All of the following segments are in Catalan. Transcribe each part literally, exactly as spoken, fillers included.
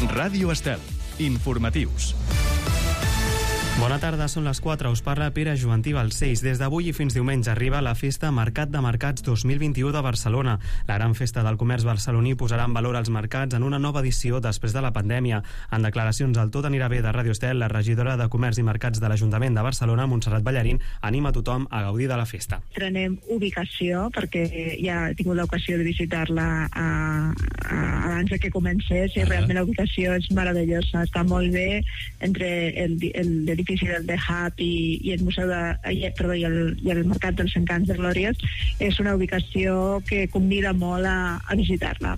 Ràdio Estel. Informatius. Bona tarda, són les quatre. Us parla Pere Joantí Balcells. Des d'avui i fins diumenge arriba la Festa Mercat de Mercats dos mil vint-i-u de Barcelona. La gran festa del comerç barceloní posarà en valor els mercats en una nova edició després de la pandèmia. En declaracions al Tot anirà bé de Ràdio Estel, la regidora de Comerç i Mercats de l'Ajuntament de Barcelona, Montserrat Ballarín, anima tothom a gaudir de la festa. Trenem ubicació, perquè ja he tingut l'ocasió de visitar-la a, a, abans de que comencés, i realment la ubicació és meravellosa. Està molt bé entre el, el, el del The Hub i, i el Museu de, perdó, i, el, i el Mercat dels Encants de Glòries. És una ubicació que convida molt a, a visitar-la.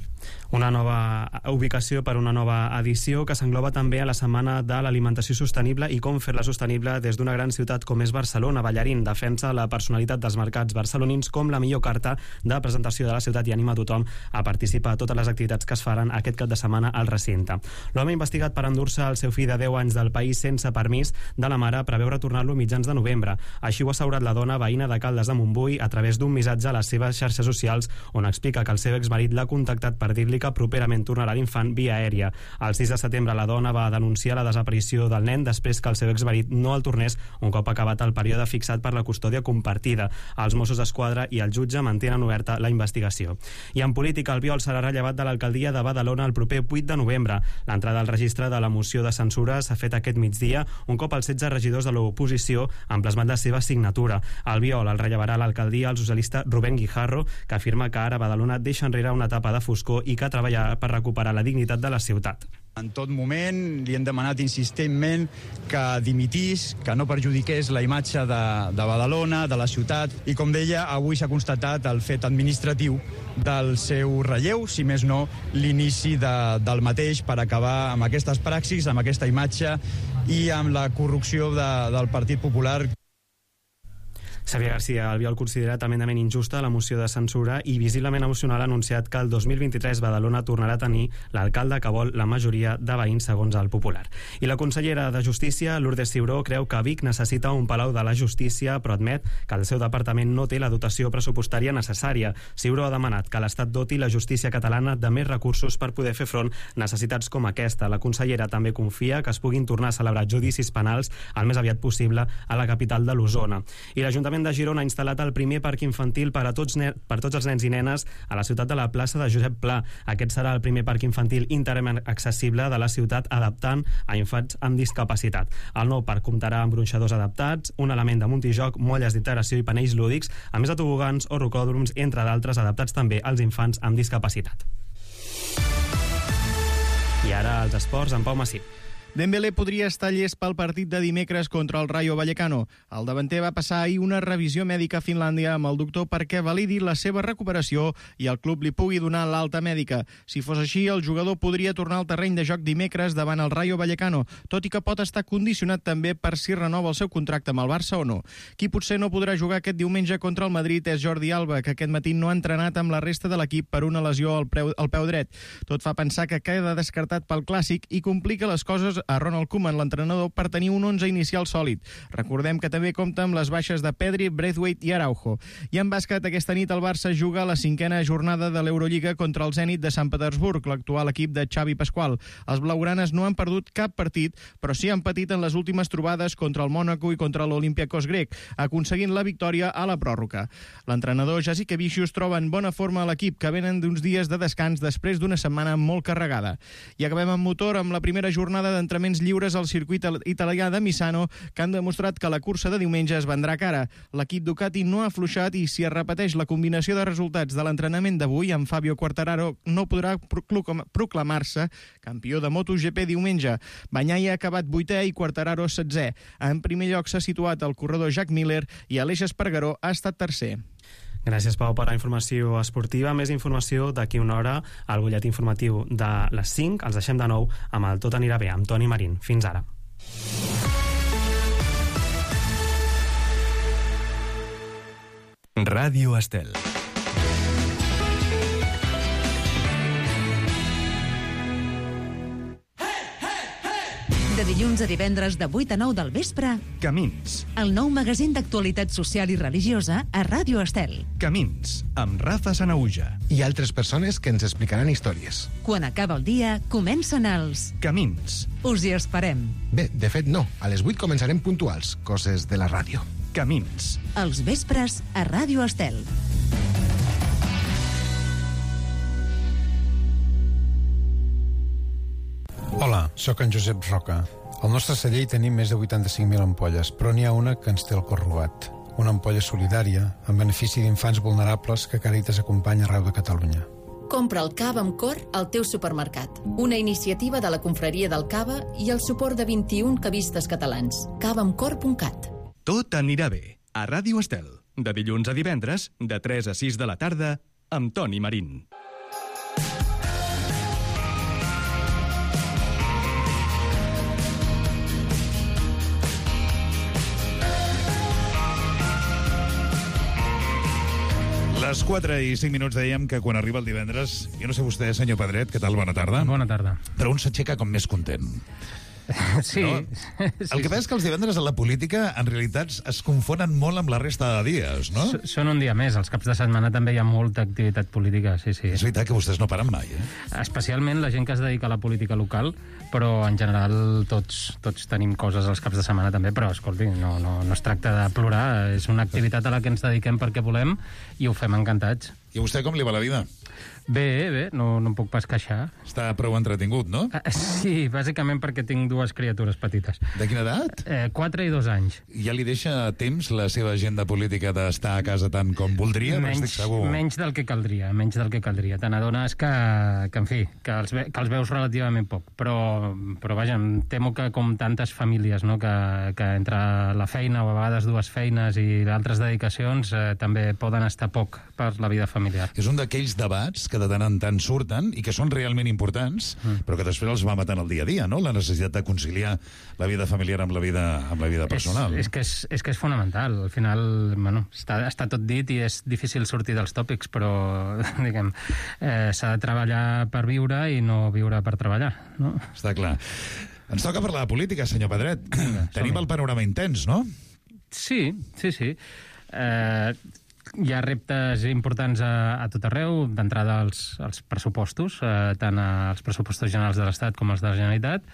Una nova ubicació per una nova edició que s'engloba també a la Setmana de l'Alimentació Sostenible i com fer-la sostenible des d'una gran ciutat com és Barcelona. Ballarín defensa la personalitat dels mercats barcelonins com la millor carta de presentació de la ciutat i anima tothom a participar a totes les activitats que es faran aquest cap de setmana al recinte. L'home investigat per endur-se el seu fill de deu anys del país sense permís de la mare preveu retornar-lo mitjans de novembre. Així ho ha assegurat la dona veïna de Caldes de Montbui a través d'un missatge a les seves xarxes socials on explica que el seu exmarit l'ha contactat per dir-li que properament tornarà l'infant via aèria. El sis de setembre la dona va denunciar la desaparició del nen després que el seu exmarit no el tornés un cop acabat el període fixat per la custòdia compartida. Els Mossos d'Esquadra i el jutge mantenen oberta la investigació. I en política, Albiol serà rellevat de l'alcaldia de Badalona el proper vuit de novembre. L'entrada al registre de la moció de censura s'ha fet aquest migdia, un cop els setze regidors de l'oposició han plasmat la seva signatura. Albiol el rellevarà a l'alcaldia el socialista Rubén Guijarro, que afirma que ara Badalona deixa enrere una etapa de foscor i que treballar per recuperar la dignitat de la ciutat. En tot moment li hem demanat insistentment que dimitís, que no perjudiqués la imatge de, de Badalona, de la ciutat, i com deia, avui s'ha constatat el fet administratiu del seu relleu, si més no l'inici de, del mateix, per acabar amb aquestes praxis, amb aquesta imatge i amb la corrupció de, del Partit Popular. Xavier García Albiol considera tremendament injusta la moció de censura i visiblement emocional ha anunciat que el dos mil vint-i-tres Badalona tornarà a tenir l'alcalde que vol la majoria de veïns segons el Popular. I la consellera de Justícia, Lourdes Ciuró, creu que Vic necessita un palau de la justícia, però admet que el seu departament no té la dotació pressupostària necessària. Ciuró ha demanat que l'Estat doti la justícia catalana de més recursos per poder fer front a necessitats com aquesta. La consellera també confia que es puguin tornar a celebrar judicis penals el més aviat possible a la capital de l'Osona. I l'Ajuntament de Girona ha instal·lat el primer parc infantil per a tots, per tots els nens i nenes a la ciutat de la plaça de Josep Pla. Aquest serà el primer parc infantil íntegrament accessible de la ciutat, adaptant a infants amb discapacitat. El nou parc comptarà amb gronxadors adaptats, un element de multijoc, molles d'integració i panells lúdics, a més de tobogans o rocòdroms, entre d'altres, adaptats també als infants amb discapacitat. I ara els esports amb Pau Massip. Dembélé podria estar llest pel partit de dimecres contra el Rayo Vallecano. El davanter va passar ahir una revisió mèdica a Finlàndia amb el doctor perquè validi la seva recuperació i el club li pugui donar l'alta mèdica. Si fos així, el jugador podria tornar al terreny de joc dimecres davant el Rayo Vallecano, tot i que pot estar condicionat també per si renova el seu contracte amb el Barça o no. Qui potser no podrà jugar aquest diumenge contra el Madrid és Jordi Alba, que aquest matí no ha entrenat amb la resta de l'equip per una lesió al, preu, al peu dret. Tot fa pensar que queda descartat pel Clàssic i complica les coses a Ronald Koeman, l'entrenador, per tenir un onze inicial sòlid. Recordem que també compta amb les baixes de Pedri, Braithwaite i Araujo. I en bàsquet, aquesta nit el Barça juga la cinquena jornada de l'Eurolliga contra el Zenit de Sant Petersburg, l'actual equip de Xavi Pasqual. Els blaugranes no han perdut cap partit, però sí han patit en les últimes trobades contra el Mònaco i contra l'Olympiakos grec, aconseguint la victòria a la pròrroga. L'entrenador Jasikevičius troba en bona forma a l'equip, que venen d'uns dies de descans després d'una setmana molt carregada. I acabem amb motor amb la primera jornada d'entrenaments lliures lliures al circuit italià de Misano, que han demostrat que la cursa de diumenge es vendrà cara. L'equip Ducati no ha afluixat i si es repeteix la combinació de resultats de l'entrenament d'avui, en Fabio Quartararo no podrà proclamar-se campió de MotoGP diumenge. Bagnaia ha acabat vuitè i Quartararo setzè. En primer lloc s'ha situat el corredor Jack Miller i Aleix Espargaró ha estat tercer. Gràcies, Pau, per la informació esportiva. Més informació d'aquí una hora al butlletí informatiu de les cinc. Els deixem de nou amb el Tot anirà bé, amb Toni Marín. Fins ara. Ràdio Estel. De dilluns a divendres de vuit a nou del vespre, Camins. el nou magazín d'actualitat social i religiosa a Ràdio Estel. Camins, amb Rafa Sanauja. I altres persones que ens explicaran històries. Quan acaba el dia, comencen els... Camins. Us hi esperem. Bé, de fet no. A les vuit començarem puntuals, coses de la ràdio. Camins. Els vespres a Ràdio Estel. Hola, sóc en Josep Roca. Al nostre celler hi tenim més de vuitanta-cinc mil ampolles, però n'hi ha una que ens té el cor robat. Una ampolla solidària, en benefici d'infants vulnerables que Càritas acompanya arreu de Catalunya. Compra el cava amb cor al teu supermercat. Una iniciativa de la Confraria del Cava i el suport de vint-i-un cavistes catalans. cava amb cor punt cat. Tot anirà bé. A Ràdio Estel. De dilluns a divendres, de tres a sis de la tarda, amb Toni Marín. Les quatre i cinc minuts dèiem que quan arriba el divendres, jo no sé vostè, senyor Pedret, què tal? Bona tarda. Bona tarda. Però un s'aixeca com més content. Sí. No? sí. El que passa és que els divendres a la política, en realitat, es confonen molt amb la resta de dies, no? S Són un dia més. Els caps de setmana també hi ha molta activitat política, sí, sí. És veritat que vostès no paren mai, eh? Especialment la gent que es dedica a la política local, però en general tots, tots tenim coses els caps de setmana també, però escolti, no, no, no es tracta de plorar, és una activitat a la que ens dediquem perquè volem i ho fem encantats. I a vostè com li va la vida? Bé, bé, no, no em puc pas queixar. Està prou entretingut, no? Uh, sí, bàsicament perquè tinc dues criatures petites. De quina edat? Eh, quatre i dos anys. Ja li deixa temps la seva agenda política d'estar a casa tant com voldria? Menys, estic segur. menys del que caldria, menys del que caldria. Te n'adones que, que, en fi, que els, ve, que els veus relativament poc. Però, però vaja, em temo que com tantes famílies, no? que, que entre la feina o a vegades dues feines i altres dedicacions eh, també poden estar poc per la vida familiar. És un d'aquells debats que de tant en tant surten i que són realment importants, mm. però que després els va matant el dia a dia, no? La necessitat de conciliar la vida familiar amb la vida, amb la vida personal. És, és, que és, és que és fonamental. Al final, bueno, està, està tot dit i és difícil sortir dels tòpics, però, diguem, eh, s'ha de treballar per viure i no viure per treballar, no? Està clar. Ens toca parlar de política, senyor Pedret. Vinga, tenim el panorama intens, no? Sí, sí, sí. Eh... Hi ha reptes importants a, a tot arreu, d'entrada als, als pressupostos, eh, tant als pressupostos generals de l'Estat com als de la Generalitat,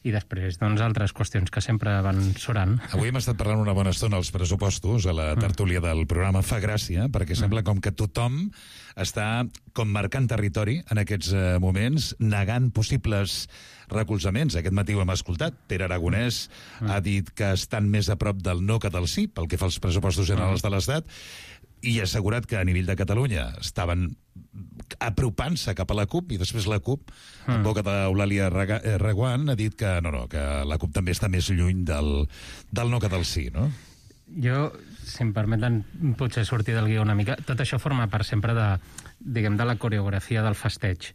i després, doncs, altres qüestions que sempre van surant. Avui hem estat parlant una bona estona als pressupostos, a la tertúlia del programa. Fa gràcia, perquè sembla com que tothom està com marcant territori en aquests eh, moments, negant possibles recolzaments. Aquest matí ho hem escoltat. Pere Aragonès ha dit que estan més a prop del no que del sí, pel que fa als pressupostos generals de l'Estat, i ha assegurat que a nivell de Catalunya estaven apropant-se cap a la CUP, i després la CUP, en boca d'Eulàlia Reguant, ha dit que no, no, que la CUP també està més lluny del, del no que del sí, no? Jo, si em permeten, potser sortir del guió una mica. Tot això forma part sempre de, diguem, de la coreografia del festeig.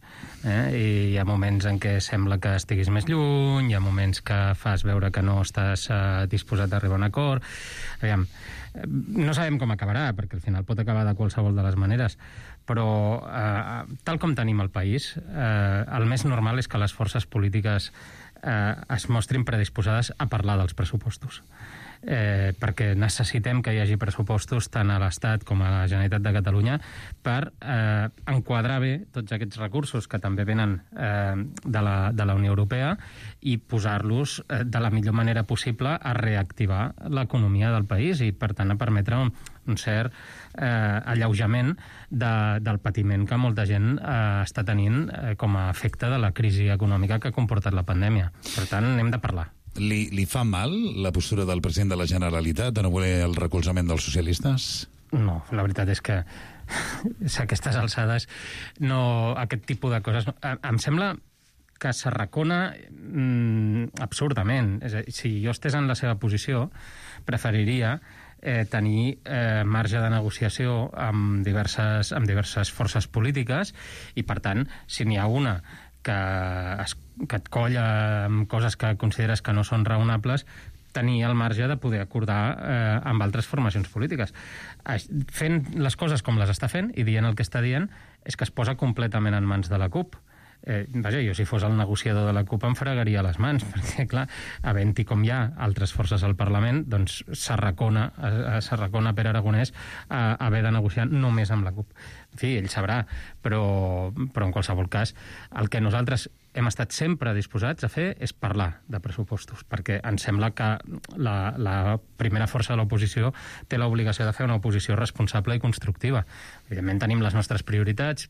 Eh? I hi ha moments en què sembla que estiguis més lluny, hi ha moments que fas veure que no estàs eh, disposat a arribar a un acord. Aviam, no sabem com acabarà, perquè al final pot acabar de qualsevol de les maneres, però eh, tal com tenim el país, eh, el més normal és que les forces polítiques eh, es mostrin predisposades a parlar dels pressupostos. Eh, perquè necessitem que hi hagi pressupostos tant a l'Estat com a la Generalitat de Catalunya per eh, enquadrar bé tots aquests recursos que també venen eh, de, la, de la Unió Europea i posar-los eh, de la millor manera possible a reactivar l'economia del país i, per tant, a permetre un, un cert eh, alleujament de, del patiment que molta gent eh, està tenint eh, com a efecte de la crisi econòmica que ha comportat la pandèmia. Per tant, n'hem de parlar. Li, li fa mal la postura del president de la Generalitat de no voler el recolzament dels socialistes? No, la veritat és que a aquestes alçades no, aquest tipus de coses... No. Em sembla que s'arracona mm, absurdament. És a dir, si jo estés en la seva posició, preferiria eh, tenir eh, marge de negociació amb diverses, amb diverses forces polítiques i, per tant, si n'hi ha una que, es, que et colla amb coses que consideres que no són raonables, tenir el marge de poder acordar eh, amb altres formacions polítiques. Fent les coses com les està fent i dient el que està dient és que es posa completament en mans de la CUP. Eh, vaja, jo si fos el negociador de la CUP em fregaria les mans, perquè, clar, havent-hi com hi ha altres forces al Parlament, doncs s'arracona, s'arracona Pere Aragonès a haver de negociar només amb la CUP. En fi, ell sabrà, però, però en qualsevol cas, el que nosaltres hem estat sempre disposats a fer és parlar de pressupostos, perquè ens sembla que la, la primera força de l'oposició té l'obligació de fer una oposició responsable i constructiva. Evidentment tenim les nostres prioritats,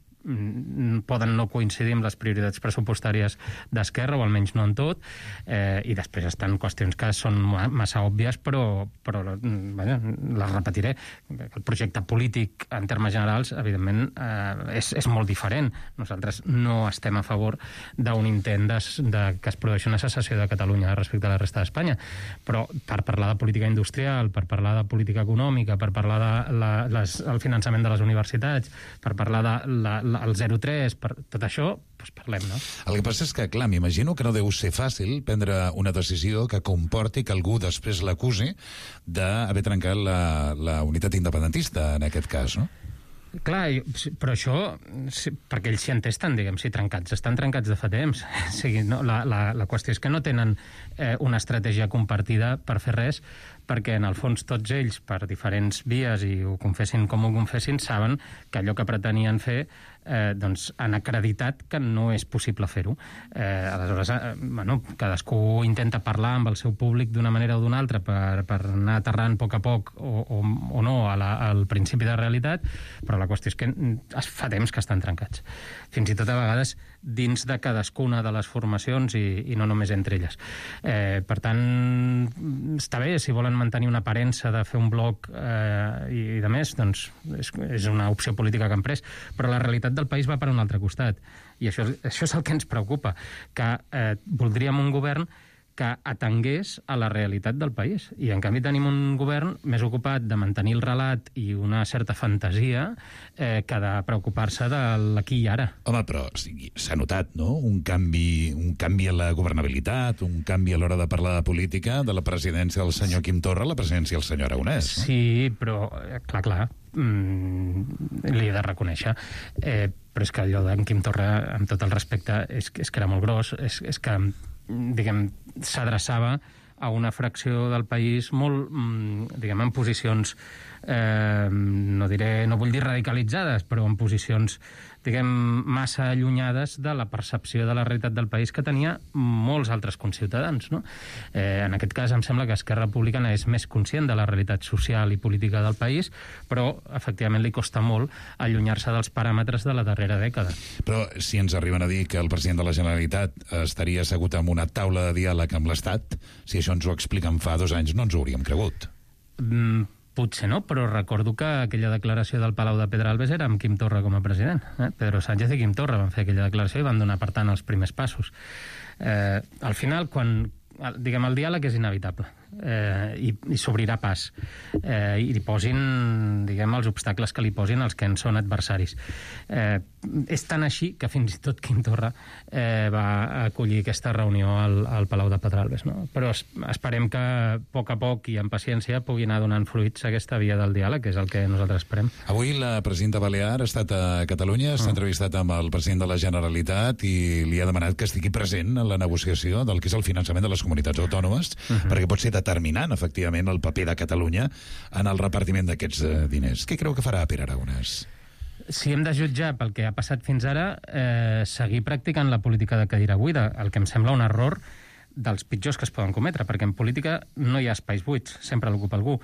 poden no coincidir amb les prioritats pressupostàries d'Esquerra, o almenys no en tot, eh, i després estan qüestions que són massa òbvies, però, però vaja, les repetiré. El projecte polític, en termes generals, evidentment, eh, és, és molt diferent. Nosaltres no estem a favor d'un intent de, de que es produeixi una secessió de Catalunya respecte a la resta d'Espanya, però per parlar de política industrial, per parlar de política econòmica, per parlar de la, les, el finançament de les universitats, per parlar de la, el zero coma tres, per tot això, doncs parlem, no? El que passa és que, clar, m'imagino que no deu ser fàcil prendre una decisió que comporti que algú després l'acusi d'haver trencat la, la unitat independentista, en aquest cas, no? Clar, però això, perquè ells s'hi entesten, diguem, si trencats, estan trencats de fa temps. O sigui, no, la, la, la qüestió és que no tenen eh, una estratègia compartida per fer res, perquè en el fons tots ells, per diferents vies, i ho confessin com ho confessin, saben que allò que pretenien fer eh, doncs han acreditat que no és possible fer-ho. Eh, aleshores, eh, bueno, cadascú intenta parlar amb el seu públic d'una manera o d'una altra per, per anar aterrant a poc a poc o, o, o no a la, al principi de realitat, però la qüestió és que fa temps que estan trencats. Fins i tot a vegades dins de cadascuna de les formacions i, i no només entre elles. Eh, per tant, està bé, si volen mantenir una aparença de fer un bloc eh, i, i de més, doncs és, és una opció política que han pres, però la realitat del país va per un altre costat, i això, això és el que ens preocupa, que eh, voldríem un govern que atengués a la realitat del país. I, en canvi, tenim un govern més ocupat de mantenir el relat i una certa fantasia eh, que de preocupar-se de l'aquí i ara. Home, però s'ha notat, no?, un canvi, un canvi a la governabilitat, un canvi a l'hora de parlar de política, de la presidència del senyor Quim Torra a la presidència del senyor Aragonès. No? Sí, però, clar, clar, mm, li he de reconèixer. Eh, però és que allò d'en Quim Torra, amb tot el respecte, és, és que era molt gros, és, és que diguem, s'adreçava a una fracció del país molt, diguem, en posicions, eh, no diré, no vull dir radicalitzades, però en posicions, diguem, massa allunyades de la percepció de la realitat del país que tenia molts altres conciutadans, no? Eh, en aquest cas, em sembla que Esquerra Republicana és més conscient de la realitat social i política del país, però, efectivament, li costa molt allunyar-se dels paràmetres de la darrera dècada. Però si ens arriben a dir que el president de la Generalitat estaria assegut en una taula de diàleg amb l'Estat, si això ens ho expliquen fa dos anys, no ens ho hauríem cregut. Mm, potser no, però recordo que aquella declaració del Palau de Pedralbes era amb Quim Torra com a president. Eh? Pedro Sánchez i Quim Torra van fer aquella declaració i van donar, per tant, els primers passos. Eh, al final, quan, diguem, el diàleg és inevitable eh, i, i s'obrirà pas eh, i li posin, diguem, els obstacles que li posin els que en són adversaris. Eh, és tan així que fins i tot Quim Torra eh, va acollir aquesta reunió al, al Palau de Pedralbes, no? Però es, esperem que a poc a poc i amb paciència pugui anar donant fruits aquesta via del diàleg, que és el que nosaltres esperem. Avui la presidenta Balear ha estat a Catalunya, s'ha mm. entrevistat amb el president de la Generalitat i li ha demanat que estigui present en la negociació del que és el finançament de les comunitats autònomes, mm-hmm. perquè pot ser determinant, efectivament, el paper de Catalunya en el repartiment d'aquests eh, diners. Què creu que farà Pere Aragonès? Si hem de jutjar pel que ha passat fins ara, eh, seguir practicant la política de cadira buida, el que em sembla un error dels pitjors que es poden cometre, perquè en política no hi ha espais buits, sempre l'ocupa algú.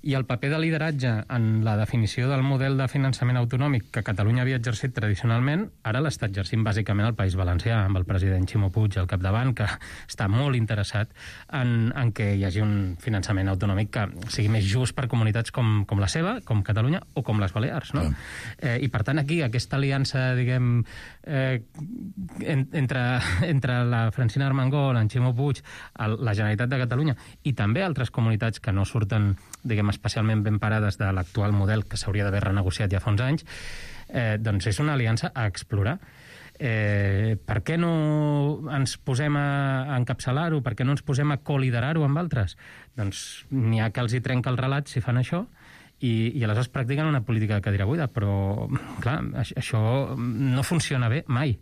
I el paper de lideratge en la definició del model de finançament autonòmic que Catalunya havia exercit tradicionalment, ara l'està exercint bàsicament el País Valencià, amb el president Ximo Puig al capdavant, que està molt interessat en, en que hi hagi un finançament autonòmic que sigui més just per comunitats com, com la seva, com Catalunya o com les Balears, no? Mm. Eh, I per tant aquí aquesta aliança, diguem, eh, en, entre, entre la Francina Armengol, en Ximo Puig, la Generalitat de Catalunya i també altres comunitats que no surten, diguem, especialment ben parades de l'actual model que s'hauria d'haver renegociat ja fa uns anys, eh, doncs és una aliança a explorar. Eh, per què no ens posem a encapçalar-ho? Per què no ens posem a coliderar-ho amb altres? Doncs n'hi ha que els hi trenca el relat si fan això i, i aleshores practiquen una política de cadira buida, però, clar, això no funciona bé mai.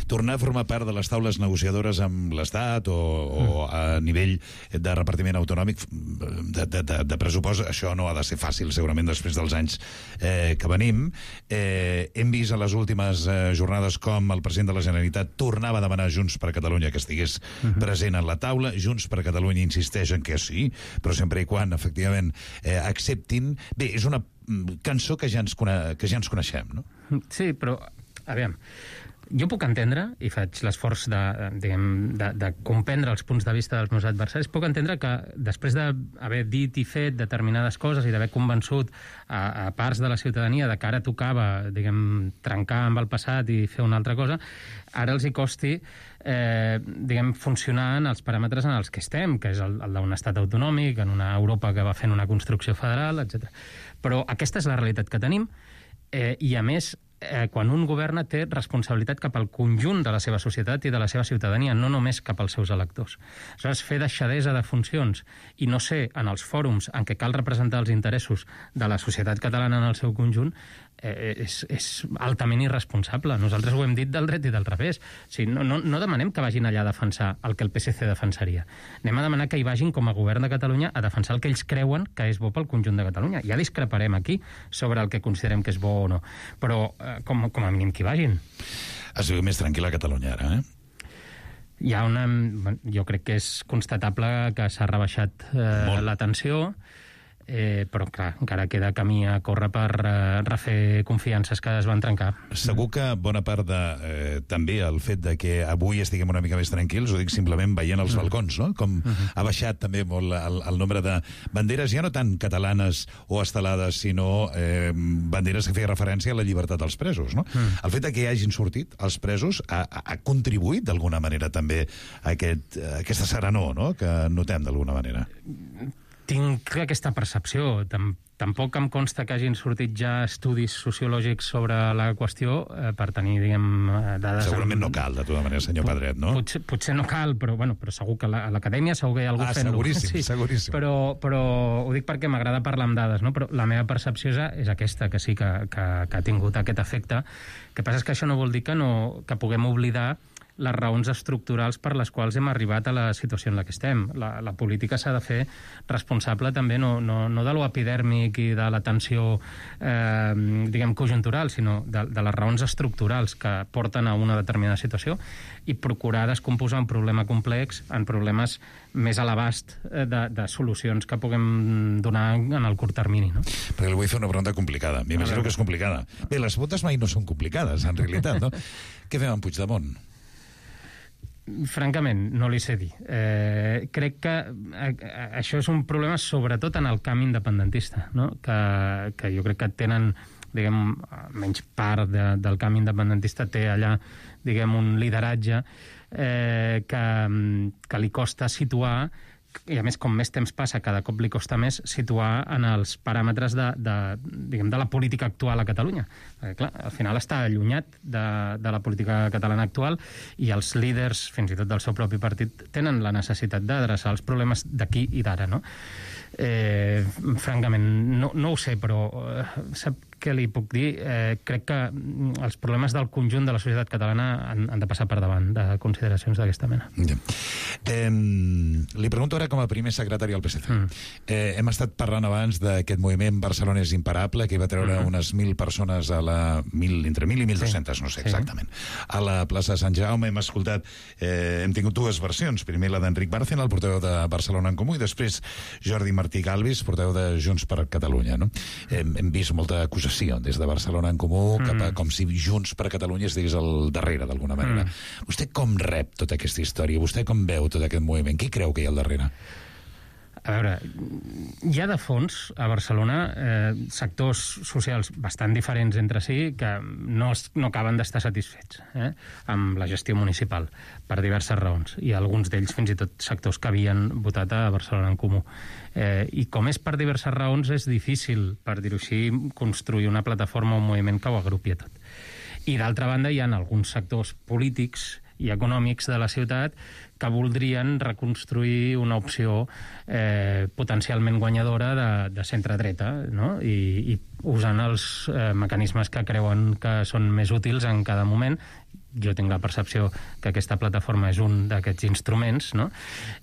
Tornar a formar part de les taules negociadores amb l'Estat o, o a nivell de repartiment autonòmic de, de, de, de pressupost, això no ha de ser fàcil, segurament, després dels anys eh, que venim. Eh, hem vist a les últimes eh, jornades com el president de la Generalitat tornava a demanar a Junts per Catalunya que estigués uh-huh. present en la taula. Junts per Catalunya insisteix en que sí, però sempre i quan, efectivament, eh, acceptin. Bé, és una cançó que ja ens, cone que ja ens coneixem, no? Sí, però, a veure, jo puc entendre, i faig l'esforç de, diguem, de, de comprendre els punts de vista dels meus adversaris, puc entendre que després d'haver dit i fet determinades coses i d'haver convençut a, a parts de la ciutadania de que ara tocava, diguem, trencar amb el passat i fer una altra cosa, ara els hi costi eh, diguem, funcionar en els paràmetres en els que estem, que és el, el d'un estat autonòmic, en una Europa que va fent una construcció federal, etcètera. Però aquesta és la realitat que tenim, eh, i a més, eh, quan un governa té responsabilitat cap al conjunt de la seva societat i de la seva ciutadania, no només cap als seus electors. Aleshores, fer deixadesa de funcions i no ser en els fòrums en què cal representar els interessos de la societat catalana en el seu conjunt eh, és, és altament irresponsable. Nosaltres ho hem dit del dret i del revés. O sigui, no, no, no demanem que vagin allà a defensar el que el P S C defensaria. Anem a demanar que hi vagin com a govern de Catalunya a defensar el que ells creuen que és bo pel conjunt de Catalunya. Ja discreparem aquí sobre el que considerem que és bo o no. Però eh, com, com a mínim que hi vagin. Es viu més tranquil·la a Catalunya ara, eh? Hi ha una... Jo crec que és constatable que s'ha rebaixat eh, la tensió, eh, però clar, encara queda camí a córrer per eh, refer confiances que es van trencar. Segur que bona part de, eh, també el fet de que avui estiguem una mica més tranquils, ho dic simplement veient els balcons, no? Com uh-huh. ha baixat també molt el, el nombre de banderes, ja no tant catalanes o estelades, sinó eh, banderes que feia referència a la llibertat dels presos, no? Uh-huh. El fet de que hi hagin sortit els presos ha, ha contribuït d'alguna manera també a, aquest, a aquesta serenor, no?, que notem d'alguna manera. Tinc aquesta percepció. Tampoc em consta que hagin sortit ja estudis sociològics sobre la qüestió eh, per tenir, diguem, dades... Segurament no cal, de tota manera, senyor Pedret, no? Potser, potser no cal, però, bueno, però segur que a l'acadèmia segur que hi ha algú ah, fent-ho. seguríssim, sí. seguríssim. Però, però ho dic perquè m'agrada parlar amb dades, no? Però la meva percepció és aquesta, que sí que, que, que ha tingut aquest efecte. El que passa és que això no vol dir que, no, que puguem oblidar les raons estructurals per les quals hem arribat a la situació en la que estem. La, la política s'ha de fer responsable també no, no, no de lo epidèrmic i de la tensió eh, diguem conjuntural, sinó de, de les raons estructurals que porten a una determinada situació i procurar descomposar un problema complex en problemes més a l'abast de, de solucions que puguem donar en el curt termini, no? Perquè li vull fer una pregunta complicada. M'imagino que és complicada. Bé, les votes mai no són complicades, en realitat, no? Què fem amb Puigdemont? Francament, no li sé dir. Eh, crec que això és un problema sobretot en el camp independentista, no? que, que jo crec que tenen, diguem, menys part de, del camp independentista té allà, diguem, un lideratge eh, que, que li costa situar, i a més, com més temps passa, cada cop li costa més situar en els paràmetres de, de, diguem, de la política actual a Catalunya. Perquè, clar, al final està allunyat de, de la política catalana actual i els líders, fins i tot del seu propi partit, tenen la necessitat d'adreçar els problemes d'aquí i d'ara, no? Eh, francament, no, no ho sé, però eh, sap què li puc dir? Eh, crec que els problemes del conjunt de la societat catalana han, han de passar per davant de consideracions d'aquesta mena. Ja. Eh, li pregunto ara com a primer secretari del P S C. Mm. Eh, hem estat parlant abans d'aquest moviment Barcelona és imparable, que va treure mm. unes mil persones a la... Mil, entre mil i mil dues-centes, sí. no sé exactament. Sí. A la plaça de Sant Jaume hem escoltat... Eh, hem tingut dues versions. Primer la d'Enric Bárcena, el portaveu de Barcelona en Comú, i després Jordi Martí Galvis, portaveu de Junts per Catalunya. No? Hem, hem vist molta acusació des de Barcelona en Comú, mm. cap a, com si Junts per Catalunya estigués al darrere, d'alguna manera. Mm. Vostè com rep tota aquesta història? Vostè com veu tot aquest moviment? Qui creu que hi ha al darrere? A veure, hi ha de fons a Barcelona eh, sectors socials bastant diferents entre si que no, no acaben d'estar satisfets eh, amb la gestió municipal per diverses raons, i alguns d'ells fins i tot sectors que havien votat a Barcelona en Comú. Eh, I com és per diverses raons, és difícil, per dir-ho així, construir una plataforma o un moviment que ho agrupi a tot. I d'altra banda hi ha alguns sectors polítics i econòmics de la ciutat que voldrien reconstruir una opció eh, potencialment guanyadora de, de centre-dreta, no? I, i usant els eh, mecanismes que creuen que són més útils en cada moment. Jo tinc la percepció que aquesta plataforma és un d'aquests instruments, no?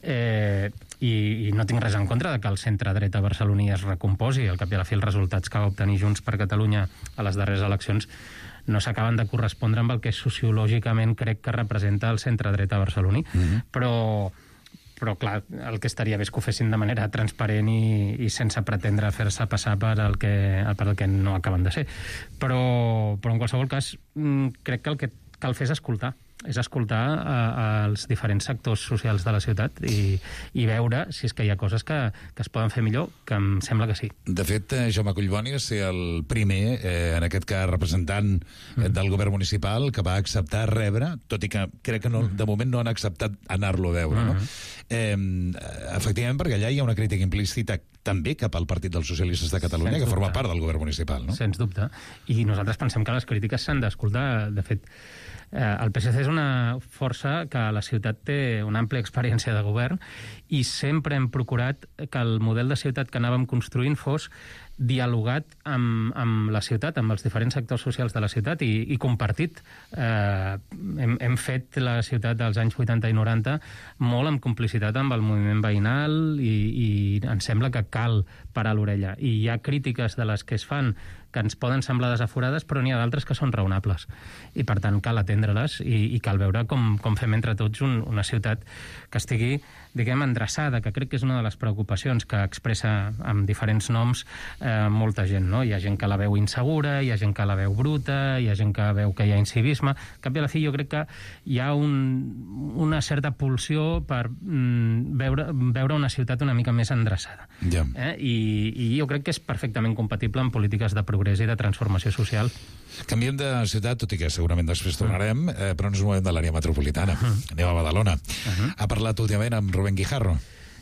Eh, i, i no tinc res en contra de que el centre-dreta barceloní es recomposi. Al cap i a la fi, els resultats que va obtenir Junts per Catalunya a les darreres eleccions no s'acaben de correspondre amb el que sociològicament crec que representa el centre-dreta barceloní. Mm-hmm. Però, però, clar, el que estaria bé és que ho fessin de manera transparent i, i sense pretendre fer-se passar per el, que, per el que no acaben de ser. Però, però en qualsevol cas, crec que el que cal fer és escoltar. És escoltar a, a els diferents sectors socials de la ciutat i, i veure si és que hi ha coses que, que es poden fer millor, que em sembla que sí. De fet, Jaume Collboni va ser el primer, eh, en aquest cas representant eh, del govern municipal, que va acceptar rebre, tot i que crec que no, de moment no han acceptat anar-lo a veure, no? Eh, efectivament, perquè allà hi ha una crítica implícita també cap al Partit dels Socialistes de Catalunya, Sens que forma dubte. part del govern municipal, no? Sens dubte. I nosaltres pensem que les crítiques s'han d'escoltar. De fet, el P S C és una força que a la ciutat té una àmplia experiència de govern i sempre hem procurat que el model de ciutat que anàvem construint fos dialogat amb, amb la ciutat, amb els diferents sectors socials de la ciutat i, i compartit. Eh, hem, hem fet la ciutat dels anys vuitanta i noranta molt en complicitat amb el moviment veïnal i, i ens sembla que cal parar l'orella. I hi ha crítiques de les que es fan que ens poden semblar desaforades, però n'hi ha d'altres que són raonables. I, per tant, cal atendre-les i, i cal veure com, com fem entre tots un, una ciutat que estigui, diguem, endreçada, que crec que és una de les preocupacions que expressa amb diferents noms eh, molta gent, no? Hi ha gent que la veu insegura, hi ha gent que la veu bruta, hi ha gent que veu que hi ha incivisme. Al cap i a la fi, jo crec que hi ha un, una certa pulsió per mm, veure, veure una ciutat una mica més endreçada. Yeah. Eh? I, I jo crec que és perfectament compatible amb polítiques de progrés i de transformació social. Canviem de ciutat, tot i que segurament després tornarem, eh, però ens movem de l'àrea metropolitana. Uh -huh. Anem a Badalona. Uh -huh. Ha parlat últimament amb Rubén Guijarro.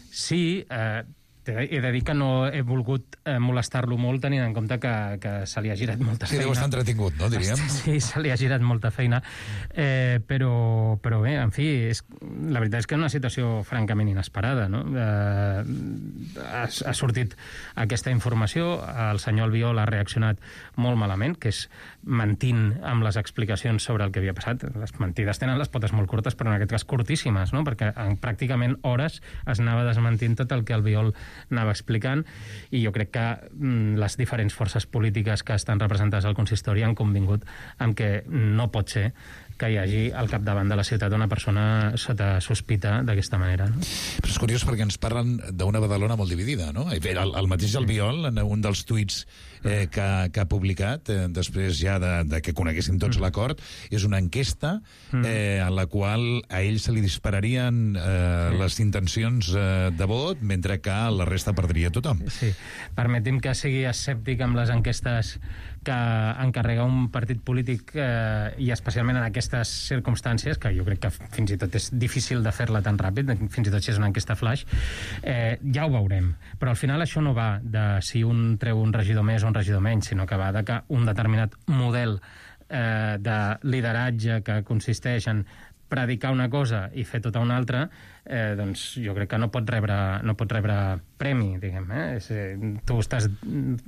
Sí, eh, he de dir que no he volgut eh, molestar-lo molt tenint en compte que, que se li ha girat molta sí, feina. Sí, deu estar entretingut, no, diríem? Sí, se li ha girat molta feina. Eh, però, però bé, en fi, és, la veritat és que és una situació francament inesperada, no? Eh, ha, ha sortit aquesta informació, el senyor Albiol ha reaccionat molt malament, que és mentint amb les explicacions sobre el que havia passat. Les mentides tenen les potes molt curtes, però en aquest cas curtíssimes, no? Perquè en pràcticament hores es anava desmentint tot el que Albiol anava explicant, i jo crec que mm, les diferents forces polítiques que estan representades al consistori han convingut amb que no pot ser que hi hagi al capdavant de la ciutat una persona sota sospita d'aquesta manera. No? Però és curiós perquè ens parlen d'una Badalona molt dividida, no? El, el mateix Albiol, en un dels tuits eh, que, que ha publicat, eh, després ja de, de que coneguéssim tots mm. l'acord, és una enquesta eh, en la qual a ell se li dispararien eh, sí. les intencions eh, de vot, mentre que la resta perdria tothom. Sí. Permeti'm que sigui escèptic amb les enquestes que encarrega un partit polític eh, i especialment en aquestes circumstàncies, que jo crec que fins i tot és difícil de fer-la tan ràpid, fins i tot si és una enquesta flash, eh, ja ho veurem. Però al final això no va de si un treu un regidor més o un regidor menys, sinó que va de que un determinat model eh, de lideratge que consisteix en predicar una cosa i fer tota una altra, eh, doncs jo crec que no pot rebre, no pot rebre premi, diguem. Eh? És, eh, tu estàs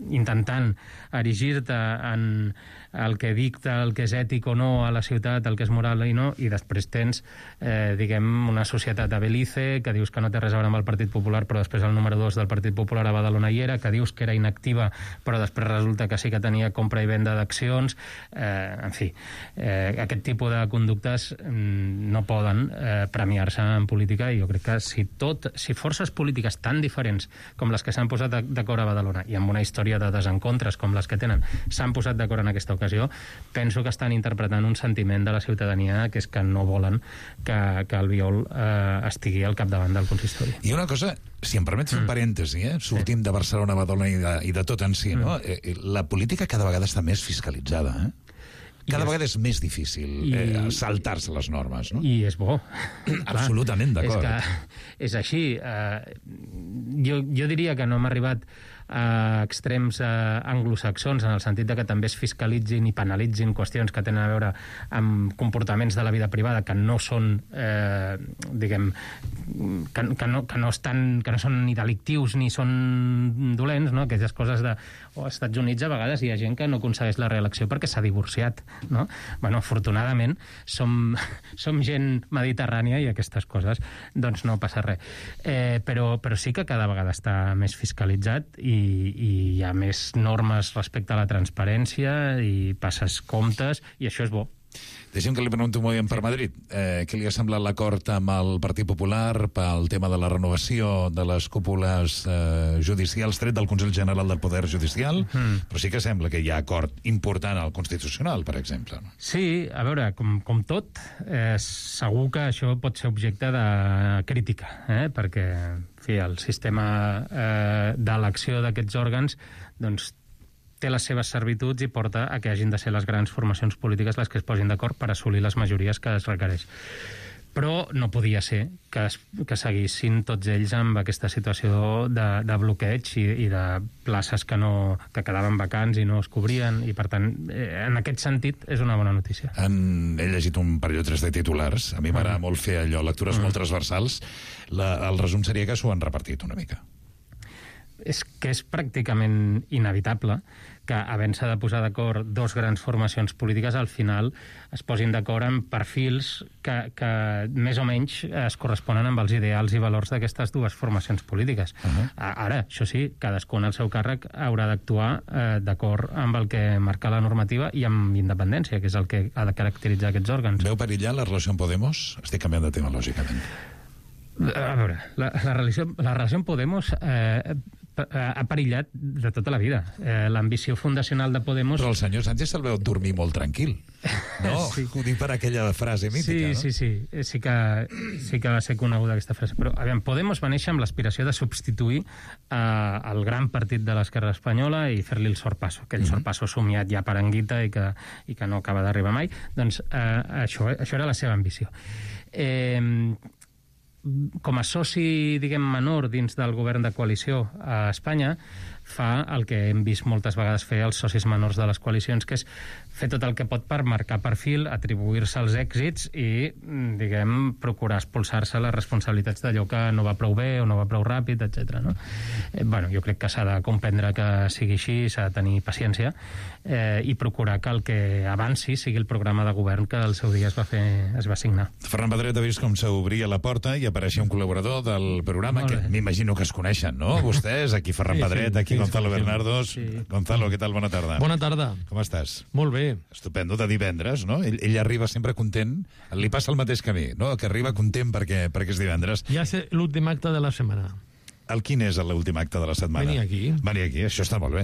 intentant erigir-te en el que dicta, el que és ètic o no a la ciutat, el que és moral i no, i després tens, eh, diguem, una societat de Belize, que dius que no té res a veure amb el Partit Popular, però després el número dos del Partit Popular a Badalona hi era, que dius que era inactiva, però després resulta que sí que tenia compra i venda d'accions. Eh, en fi, eh, aquest tipus de conductes mm, no poden eh, premiar-se en política, i jo crec que si tot, si forces polítiques tan diferents com les que s'han posat d'acord a Badalona i amb una història de desencontres com les que tenen s'han posat d'acord en aquesta ocasió, penso que estan interpretant un sentiment de la ciutadania, que és que no volen que, que Albiol eh, estigui al capdavant del consistori. I una cosa, si em permets un mm. parèntesi, eh? sortim sí. de Barcelona, Badalona i de, i de tot en si, mm. no? Eh, la política cada vegada està més fiscalitzada, eh? Cada vegada és més difícil eh, saltar-se les normes, no? I és bo. Absolutament d'acord. És que és així. Eh, jo, jo diria que no hem arribat a extrems eh, anglosaxons, en el sentit de que també es fiscalitzin i penalitzin qüestions que tenen a veure amb comportaments de la vida privada que no són, eh, diguem, que, que, no, que, no estan, que no són ni delictius ni són dolents, no? Aquelles coses de... O als Estats Units a vegades hi ha gent que no aconsegueix la reelecció perquè s'ha divorciat, no? Bueno, afortunadament som, som gent mediterrània i aquestes coses, doncs no passa res. Eh, però, però sí que cada vegada està més fiscalitzat i, i hi ha més normes respecte a la transparència i passes comptes, i això és bo. Deixem que li pregunto un moment per Madrid. Eh, què li ha semblat l'acord amb el Partit Popular pel tema de la renovació de les cúpules eh, judicials tret del Consell General del Poder Judicial? Mm. Però sí que sembla que hi ha acord important al Constitucional, per exemple. No? Sí, a veure, com, com tot, eh, segur que això pot ser objecte de crítica, eh? Perquè, en fi, el sistema eh, d'elecció d'aquests òrgans, doncs, té les seves servituds i porta a que hagin de ser les grans formacions polítiques les que es posin d'acord per assolir les majories que es requereix. Però no podia ser que, es, que seguissin tots ells amb aquesta situació de, de bloqueig i, i de places que, no, que quedaven vacants i no es cobrien, i per tant, eh, en aquest sentit, és una bona notícia. En, he llegit un parell o tres de titulars. A mi m'agrada mm. molt fer allò, lectures mm. molt transversals. La, el resum seria que s'ho han repartit una mica. És que és pràcticament inevitable que, havent-se de posar d'acord dos grans formacions polítiques, al final es posin d'acord en perfils que, que més o menys es corresponen amb els ideals i valors d'aquestes dues formacions polítiques. Uh-huh. Ara, això sí, cadascun al seu càrrec haurà d'actuar eh, d'acord amb el que marca la normativa i amb independència, que és el que ha de caracteritzar aquests òrgans. Veu perillar la relació amb Podemos? Estic canviant de tema, lògicament. A veure, la, la, relació, la relació amb Podemos eh, ha perillat de tota la vida. Eh, l'ambició fundacional de Podemos... Però el senyor Sánchez se'l veu dormir molt tranquil. No? Sí. Ho dic per aquella frase mítica, sí, no? Sí, sí, sí. Sí que, sí que va ser coneguda aquesta frase. Però, a veure, Podemos va néixer amb l'aspiració de substituir eh, el gran partit de l'esquerra espanyola i fer-li el sorpasso, aquell mm-hmm. sorpasso somiat ja per Anguita i que, i que no acaba d'arribar mai. Doncs eh, això, això era la seva ambició. Eh... Com a soci, diguem, menor dins del govern de coalició a Espanya, fa el que hem vist moltes vegades fer els socis menors de les coalicions, que és fer tot el que pot per marcar perfil, atribuir-se els èxits i, diguem, procurar expulsar-se les responsabilitats d'allò que no va prou bé o no va prou ràpid, etcètera. No? Eh, bueno, jo crec que s'ha de comprendre que sigui així, s'ha de tenir paciència eh, i procurar que el que avanci sigui el programa de govern que al seu dia es va fer, es va signar. Ferran Pedret ha vist com s'obria la porta i apareixia un col·laborador del programa que m'imagino que es coneixen, no? Vostès, aquí Ferran sí, Pedret, aquí sí, Gonzalo sí, Bernardos. Sí. Gonzalo, què tal? Bona tarda. Bona tarda. Com estàs? Molt bé. Estupendo, de divendres, no? Ell, ell arriba sempre content, li passa el mateix que a mi, no? Que arriba content perquè, perquè és divendres. Ja és l'últim acte de la setmana. El quin és l'últim acte de la setmana? Venir aquí. Venir aquí, això està molt bé.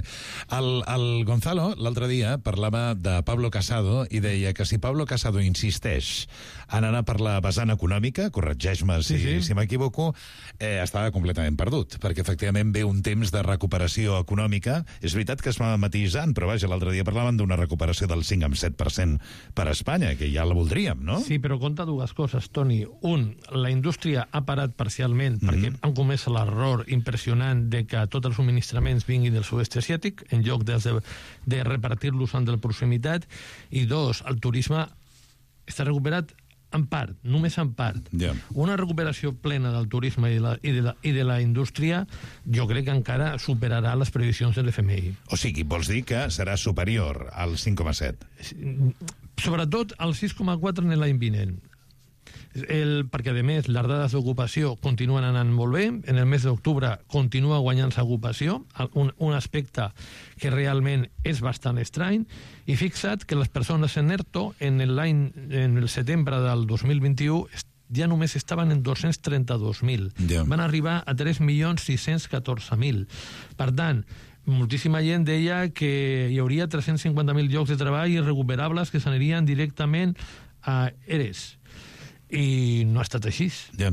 El, el Gonzalo, l'altre dia, parlava de Pablo Casado i deia que si Pablo Casado insisteix en anar per la vessant econòmica, corregeix-me si, sí, sí. si m'equivoco, eh, estava completament perdut, perquè efectivament ve un temps de recuperació econòmica. És veritat que es va matisant, però vaja, l'altre dia parlaven d'una recuperació del cinc coma set per cent per a Espanya, que ja la voldríem, no? Sí, però compta dues coses, Toni. Un, la indústria ha parat parcialment mm-hmm. perquè han comès l'error impressionant de que tots els subministraments vinguin del sud-est asiàtic en lloc de, de repartir-los en de la proximitat, i dos, el turisme està recuperat en part, només en part. Yeah. Una recuperació plena del turisme i de, la, i, de la, i de la indústria jo crec que encara superarà les previsions de l'F M I. O sigui, vols dir que serà superior al cinc coma set? Sobretot al sis coma quatre en l'any vinent. El, perquè, a més, les dades d'ocupació continuen anant molt bé. En el mes d'octubre continua guanyant-se ocupació, un, un aspecte que realment és bastant estrany. I fixa't que les persones en ERTO en l'any, en el setembre del dos mil vint-i-u ja només estaven en dos-cents trenta-dos mil. Yeah. Van arribar a tres milions sis-cents catorze mil. Per tant, moltíssima gent deia que hi hauria tres-cents cinquanta mil llocs de treball irrecuperables que s'anirien directament a ERES. i no ha estat així. Ja.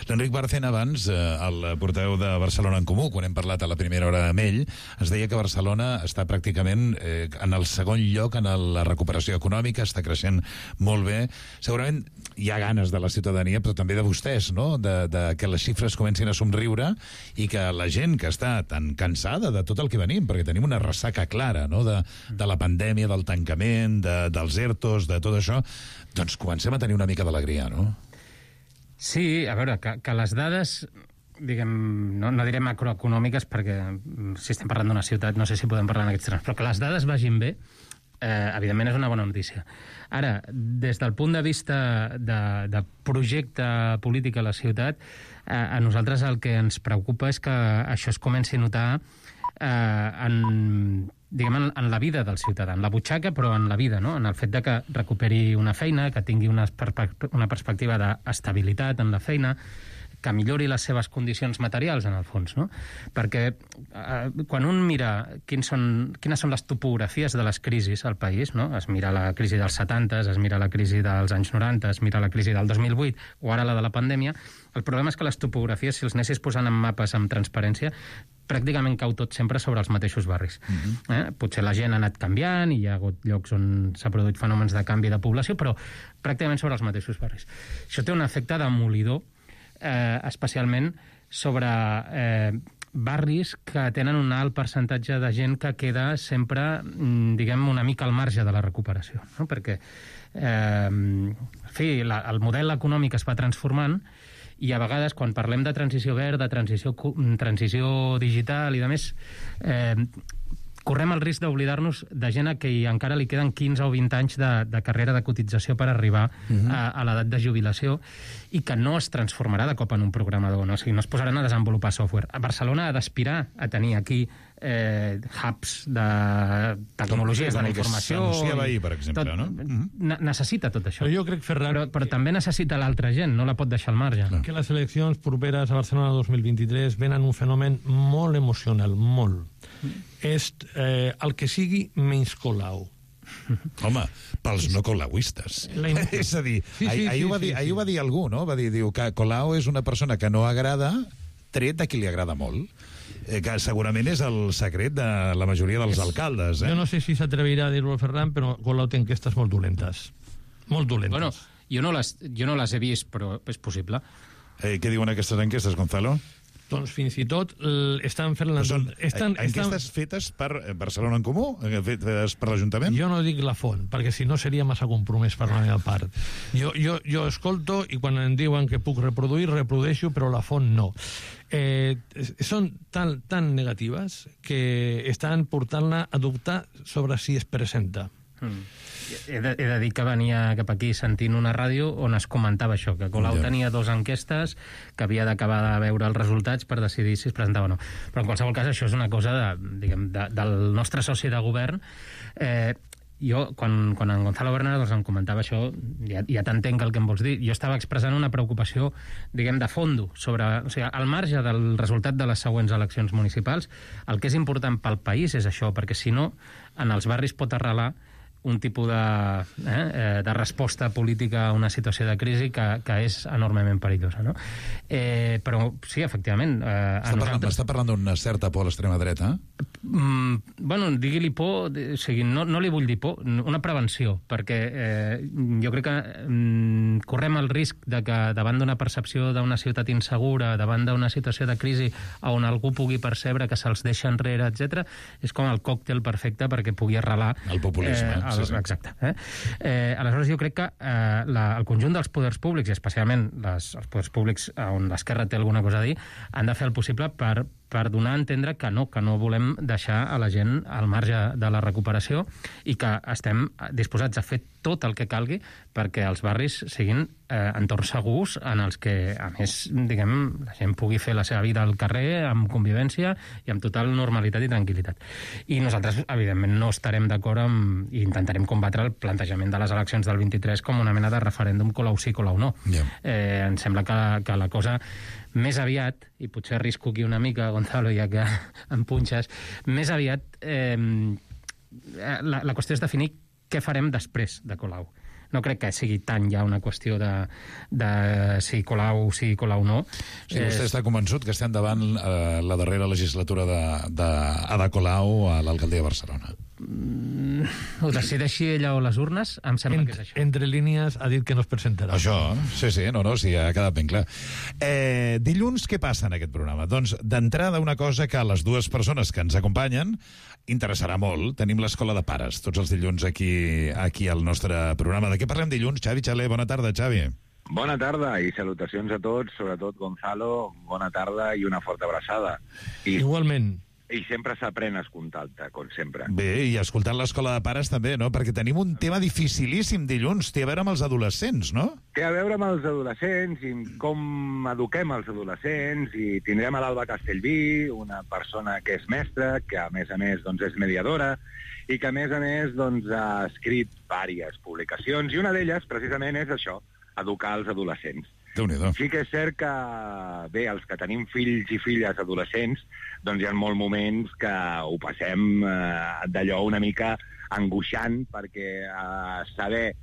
L'Enric Barcena abans, eh, el portaveu de Barcelona en Comú, quan hem parlat a la primera hora amb ell, ens deia que Barcelona està pràcticament eh, en el segon lloc en el, la recuperació econòmica, està creixent molt bé. Segurament hi ha ganes de la ciutadania, però també de vostès, no?, de, de que les xifres comencin a somriure i que la gent que està tan cansada de tot el que venim, perquè tenim una ressaca clara, no?, de, de la pandèmia, del tancament, de, dels ERTOs, de tot això, doncs comencem a tenir una mica d'alegria, no? Sí, a veure, que, que les dades, diguem, no, no diré macroeconòmiques, perquè si estem parlant d'una ciutat no sé si podem parlar en aquests termes, però que les dades vagin bé, eh, evidentment és una bona notícia. Ara, des del punt de vista de, de projecte polític a la ciutat, eh, a nosaltres el que ens preocupa és que això es comenci a notar eh, en... diguem, en, en la vida del ciutadà, en la butxaca, però en la vida, no? En el fet de que recuperi una feina, que tingui una, perspe una perspectiva d'estabilitat en la feina, que millori les seves condicions materials, en el fons, no? Perquè eh, quan un mira quins són, quines són les topografies de les crisis al país, no? Es mira la crisi dels setanta, es mira la crisi dels anys noranta, es mira la crisi del dos mil vuit, o ara la de la pandèmia, el problema és que les topografies, si els anessis posant en mapes amb transparència, pràcticament cau tot sempre sobre els mateixos barris. Uh-huh. eh? Potser la gent ha anat canviant i hi ha hagut llocs on s'ha produït fenòmens de canvi de població, però pràcticament sobre els mateixos barris. Això té un efecte demolidor, eh, especialment sobre eh, barris que tenen un alt percentatge de gent que queda sempre, diguem, una mica al marge de la recuperació, no? Perquè eh, en fi, la, el model econòmic es va transformant i a vegades, quan parlem de transició verda, transició, transició digital i de més, eh, correm el risc d'oblidar-nos de gent a qui encara li queden quinze o vint anys de, de carrera de cotització per arribar uh-huh. a, a l'edat de jubilació i que no es transformarà de cop en un programador, no? O sigui, no es posaran a desenvolupar software. A Barcelona ha d'aspirar a tenir aquí eh, hubs de tecnologies de la informació. S'anunciava ahir, per exemple, tot, no? Ne necessita tot això. Però jo crec, Ferran... Però, però també necessita l'altra gent, no la pot deixar al marge. Que les eleccions properes a Barcelona dos mil vint-i-tres venen un fenomen molt emocional, molt. És eh, el que sigui menys Colau. Home, pels no colauistes. És a dir, sí, sí, ahir, sí, ho va dir, sí, sí. ahir ho va dir algú, no? Va dir, diu que Colau és una persona que no agrada, tret de qui li agrada molt. Eh, que segurament és el secret de la majoria dels alcaldes. Eh? Jo no sé si s'atrevirà a dir-ho al Ferran, però Colau té enquestes molt dolentes. Molt dolentes. Bueno, jo no les, jo no les he vist, però és possible. Eh, què diuen aquestes enquestes, Gonzalo? Doncs fins i tot estan fent... La... Són estan, enquestes estan... fetes per Barcelona en Comú? Fetes per l'Ajuntament? Jo no dic la font, perquè si no seria massa compromès per la meva part. Jo, jo, jo escolto i quan em diuen que puc reproduir, reprodueixo, però la font no. Eh, són tan, tan negatives que estan portant-la a dubtar sobre si es presenta. Mm. He de, he de dir que venia cap aquí sentint una ràdio on es comentava això, que Colau ja. tenia dos enquestes, que havia d'acabar de veure els resultats per decidir si es presentava o no. Però en qualsevol cas això és una cosa de, diguem, de, del nostre soci de govern. Eh, jo, quan, quan en Gonzalo Bernal doncs, em comentava això, ja, ja t'entenc el que em vols dir, jo estava expressant una preocupació, diguem, de fondo, sobre, o sigui, al marge del resultat de les següents eleccions municipals, el que és important pel país és això, perquè si no, en els barris pot arrelar un tipus de, eh, de resposta política a una situació de crisi que, que és enormement perillosa, no? Eh, però sí, efectivament... Eh, està, nosaltres... parlant, està parlant d'una certa por a l'extrema dreta? Mm, bueno, digui-li por, o sigui, no, no li vull dir por, una prevenció, perquè eh, jo crec que mm, correm el risc de que davant d'una percepció d'una ciutat insegura, davant d'una situació de crisi on algú pugui percebre que se'ls deixa enrere, etcètera, és com el còctel perfecte perquè pugui arrelar... El populisme. Eh, el, exacte. Eh? Eh, aleshores, jo crec que eh, la, el conjunt dels poders públics, i especialment les, els poders públics on l'esquerra té alguna cosa a dir, han de fer el possible per, per donar a entendre que no, que no volem deixar a la gent al marge de la recuperació i que estem disposats a fer tot el que calgui perquè els barris siguin eh, entorns segurs en els que, a més, diguem, la gent pugui fer la seva vida al carrer amb convivència i amb total normalitat i tranquil·litat. I nosaltres, evidentment, no estarem d'acord amb, i intentarem combatre el plantejament de les eleccions del vint-i-tres com una mena de referèndum Colau sí, Colau no. Yeah. Eh, em sembla que, que la cosa més aviat, i potser arrisco aquí una mica, Gonzalo, ja que em punxes, més aviat eh, la, la qüestió és definir què farem després de Colau. no crec que sigui tant ja una qüestió de, de si Colau sí, Colau no. Sí, vostè està convençut que estem davant eh, la darrera legislatura d'Ada Colau a l'alcaldia de Barcelona? Mm, ho decideixi ella o les urnes, em sembla Ent, que és això. Entre línies ha dit que no es presentarà. Això, sí, sí, no, no, sí, ha quedat ben clar. Eh, dilluns, què passa en aquest programa? Doncs, d'entrada, una cosa que a les dues persones que ens acompanyen interessarà molt. Tenim l'Escola de Pares, tots els dilluns aquí, aquí al nostre programa. De què parlem dilluns? Xavi Xaler, bona tarda, Xavi. Bona tarda i salutacions a tots, sobretot Gonzalo, bona tarda i una forta abraçada. I... Igualment. I sempre s'aprèn escoltant-te, com sempre. Bé, i escoltant l'Escola de Pares també, no? Perquè tenim un tema dificilíssim dilluns, té a veure amb els adolescents, no? Té a veure amb els adolescents i com eduquem els adolescents, i tindrem a l'Alba Castellví, una persona que és mestra, que a més a més doncs, és mediadora, i que a més a més doncs, ha escrit diverses publicacions, i una d'elles precisament és això, educar els adolescents. Déu-n'hi-do. Sí que és cert que, bé, els que tenim fills i filles adolescents, doncs hi ha molts moments que ho passem eh, d'allò una mica angoixant, perquè eh, saber eh,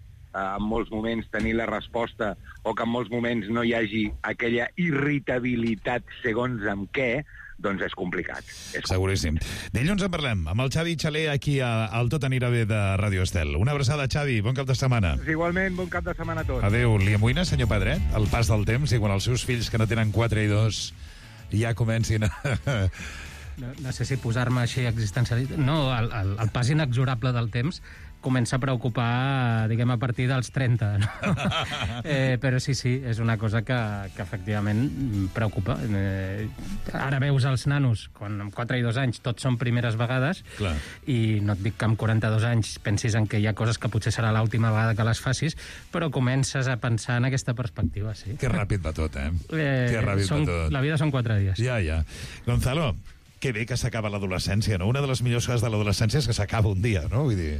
en molts moments tenir la resposta o que en molts moments no hi hagi aquella irritabilitat segons amb què, doncs és complicat. És Seguríssim. Dilluns en parlem amb el Xavi Xaler aquí a, al Tot anirà bé de Ràdio Estel. Una abraçada, Xavi, bon cap de setmana. Igualment, bon cap de setmana a tots. Adéu. Li amoïna, senyor Pedret, el pas del temps i quan els seus fills, que no tenen quatre i dos, ja comencin a... No, no sé si posar-me així existencialista. No, el, el, el pas inexorable del temps comença a preocupar, diguem, a partir dels trenta. No? eh, però sí, sí, és una cosa que, que efectivament preocupa. Eh, ara veus els nanos, quan amb quatre i dos anys tots són primeres vegades, Clar. i no et dic que amb quaranta-dos anys pensis en que hi ha coses que potser serà l'última vegada que les facis, però comences a pensar en aquesta perspectiva, sí. Que ràpid va tot, eh? eh que ràpid són, va tot. La vida són quatre dies. Ja, ja. Gonzalo, que bé que s'acaba l'adolescència, no? Una de les millors coses de l'adolescència és que s'acaba un dia, no? Vull dir...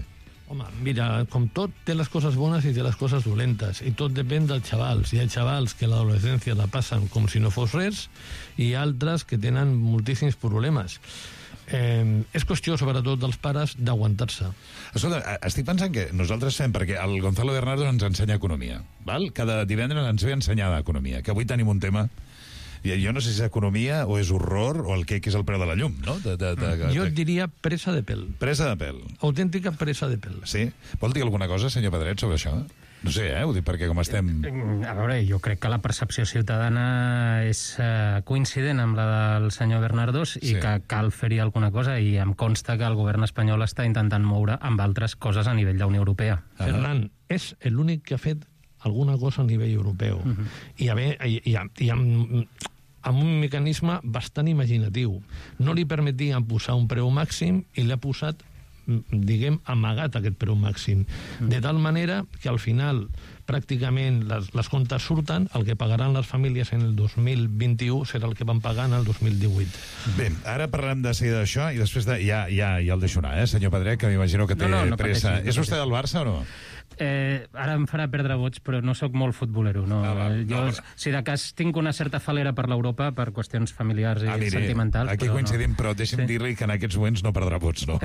Home, mira, com tot té les coses bones i té les coses dolentes, i tot depèn dels xavals. Hi ha xavals que l'adolescència la passen com si no fos res, i altres que tenen moltíssims problemes. Eh, és qüestió, sobretot, dels pares d'aguantar-se. Escolta, estic pensant que nosaltres fem, perquè el Gonzalo Bernardo ens ensenya economia, val? Cada divendres ens ve a ensenyar economia, que avui tenim un tema... Jo no sé si és economia o és horror o el que és el preu de la llum, no? De, de, de, de, jo et diria presa de pèl. Presa de pèl. Autèntica presa de pèl. Sí? Vol dir alguna cosa, senyor Pedret, sobre això? No sé, eh? Ho dic perquè com estem... A veure, jo crec que la percepció ciutadana és uh, coincident amb la del senyor Bernardos i Sí. que cal fer-hi alguna cosa, i em consta que el govern espanyol està intentant moure amb altres coses a nivell de Unió Europea. Ah. Ferran, és l'únic que ha fet alguna cosa a nivell europeu. Uh -huh. I, a veure, i, i, i amb, amb un mecanisme bastant imaginatiu. No li permetien posar un preu màxim i l'ha posat, diguem, amagat aquest preu màxim. De tal manera que al final pràcticament les, les comptes surten, el que pagaran les famílies en el dos mil vint-i-u serà el que van pagar en el dos mil divuit. Bé, ara parlem de seguida d'això i després de... Ja, ja, ja el deixo anar, eh, senyor Pedret, que m'imagino que té no, no, no pressa. pateixi, no És vostè del Barça o no? Eh, ara em farà perdre vots, però no sóc molt futbolero. No. Ah, va, jo, no, si de cas, tinc una certa falera per l'Europa per qüestions familiars i Ah, miri, sentimentals. aquí però coincidim, no. però deixi'm Sí. dir-li que en aquests moments no perdrà vots, no.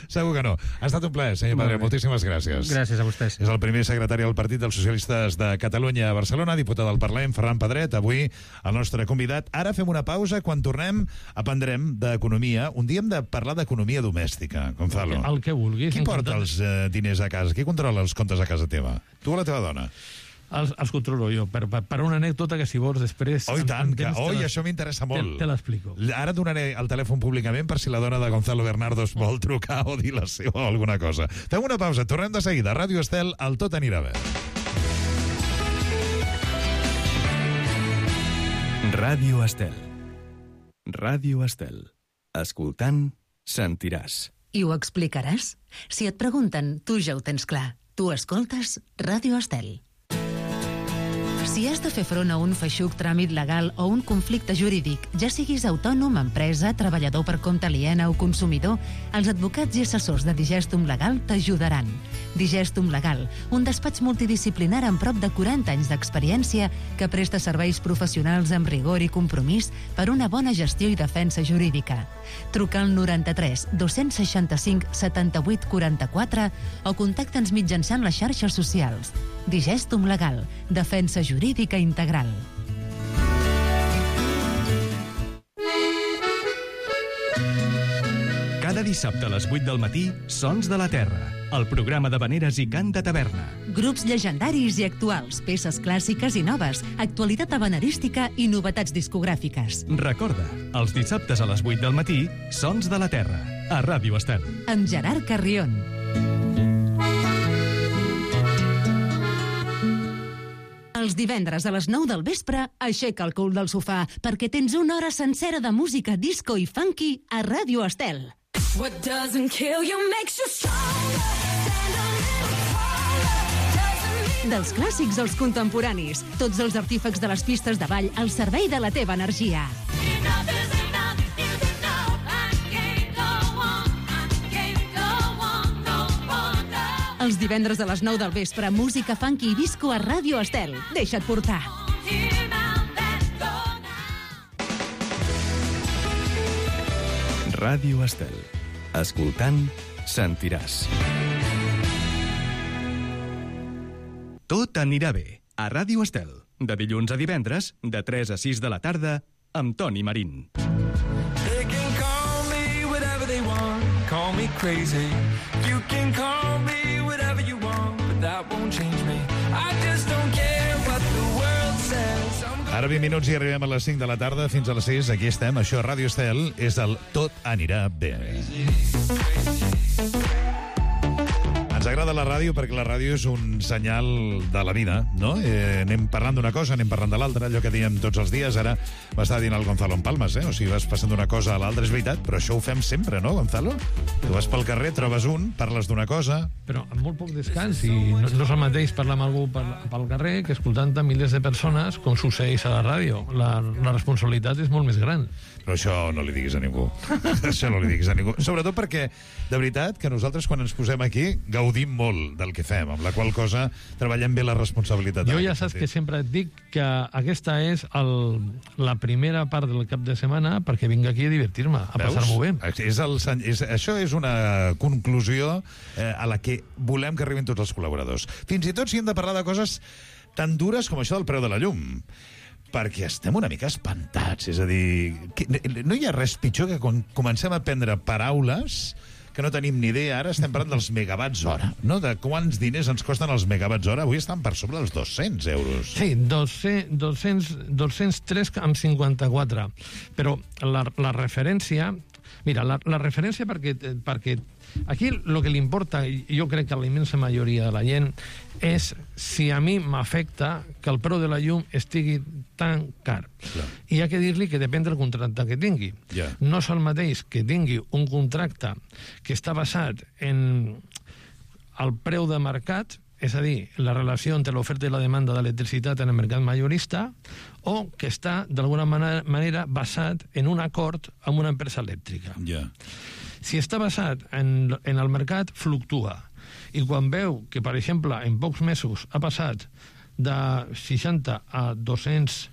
Segur que no. Ha estat un plaer, senyor Molt Pedret, bé. moltíssimes gràcies. Gràcies a vostès. És el primer secretari del Partit dels Socialistes de Catalunya a Barcelona, diputat del Parlament, Ferran Pedret, avui el nostre convidat. Ara fem una pausa, quan tornem aprendrem d'economia. Un dia hem de parlar d'economia domèstica, Gonzalo. El que vulguis. Qui porta encantat. els eh, diners a casa? Qui controla els comptes a casa teva? Tu o la teva dona? Els, els controlo jo, per, per, per una anècdota que si vols després... Oh, i tant, que, temps te oi, la- això m'interessa molt. Te, te l'explico. Ara donaré el telèfon públicament per si la dona de Gonzalo Bernardo es vol trucar o dir la seva o alguna cosa. Fem una pausa, tornem de seguida. Ràdio Estel, el Tot anirà bé. Ràdio Estel. Ràdio Estel. Escoltant, sentiràs. I ho explicaràs? Si et pregunten, tu ja ho tens clar. Tu escoltes Ràdio Estel. Si has de fer front a un feixuc tràmit legal o un conflicte jurídic, ja siguis autònom, empresa, treballador per compte aliena o consumidor, els advocats i assessors de Digestum Legal t'ajudaran. Digestum Legal, un despatx multidisciplinar amb prop de quaranta anys d'experiència que presta serveis professionals amb rigor i compromís per una bona gestió i defensa jurídica. Truca al noranta-tres dos-cents seixanta-cinc setanta-vuit quaranta-quatre o contacta'ns mitjançant les xarxes socials. Digestum Legal, defensa jurídica integral. Cada dissabte a les vuit del matí, Sons de la Terra, el programa de veneres i cant de taverna. Grups llegendaris i actuals, peces clàssiques i noves, actualitat habanerística i novetats discogràfiques. Recorda, els dissabtes a les vuit del matí, Sons de la Terra, a Ràdio Estel. Amb Gerard Carrion. Els divendres a les nou del vespre, aixeca el cul del sofà, perquè tens una hora sencera de música disco i funky a Ràdio Estel. What doesn't kill you makes you stronger. Dels clàssics als contemporanis, tots els artífecs de les pistes de ball al servei de la teva energia. Els divendres a les nou del vespre, música funky i disco a Ràdio Estel. Deixa't portar. Ràdio Estel. Escoltant, sentiràs. Tot anirà bé. A Ràdio Estel. De dilluns a divendres, de tres a sis de la tarda, amb Toni Marín. They can call me whatever they want. Call me crazy. You can call me whatever you want, but that won't change me. I just don't care what the world says. Ara vint minuts i arribem a les cinc de la tarda, fins a les sis, aquí estem, això a Ràdio Estel, és el Tot anirà bé. Ens agrada la ràdio perquè la ràdio és un senyal de la vida, no? Eh, anem parlant d'una cosa, anem parlant de l'altra, allò que diem tots els dies. Ara m'està dient el Gonzalo en Palmas, eh? O sigui, vas passant d'una cosa a l'altra, és veritat, però això ho fem sempre, no, Gonzalo? Tu vas pel carrer, trobes un, parles d'una cosa... Però amb molt poc descans, i no, no és el mateix parlar amb algú pel, pel carrer que escoltant a milers de persones, com succeeix a la ràdio. La, la responsabilitat és molt més gran. Però això no li diguis a ningú. Això no li diguis a ningú. Sobretot perquè, de veritat, que nosaltres quan ens posem aquí gaudim molt del que fem, amb la qual cosa treballem bé la responsabilitat. Jo ja saps que sempre et dic que aquesta és el, la primera part del cap de setmana perquè vinc aquí a divertir-me, a passar-m'ho bé. És el, és, això és una conclusió eh, a la que volem que arribin tots els col·laboradors. Fins i tot si hem de parlar de coses tan dures com això del preu de la llum. Perquè estem una mica espantats. És a dir, que no hi ha res pitjor que quan comencem a prendre paraules que no tenim ni idea. Ara estem parlant dels megawatts hora, no? De quants diners ens costen els megawatts hora. Avui estan per sobre dels dos-cents euros. Sí, dos-cents, dos-cents tres coma cinquanta-quatre. Però la, la referència... Mira, la, la referència perquè, perquè aquí el que li importa, i jo crec que a la immensa majoria de la gent, és si a mi m'afecta que el preu de la llum estigui tan car. Clar. I hi ha que dir-li que depèn del contracte que tingui. Yeah. No és el mateix que tingui un contracte que està basat en el preu de mercat, és a dir, la relació entre l'oferta i la demanda d'electricitat en el mercat majorista, o que està, d'alguna manera, basat en un acord amb una empresa elèctrica. Yeah. Si està basat en, en el mercat, fluctua. I quan veu que, per exemple, en pocs mesos ha passat de seixanta a dos-cents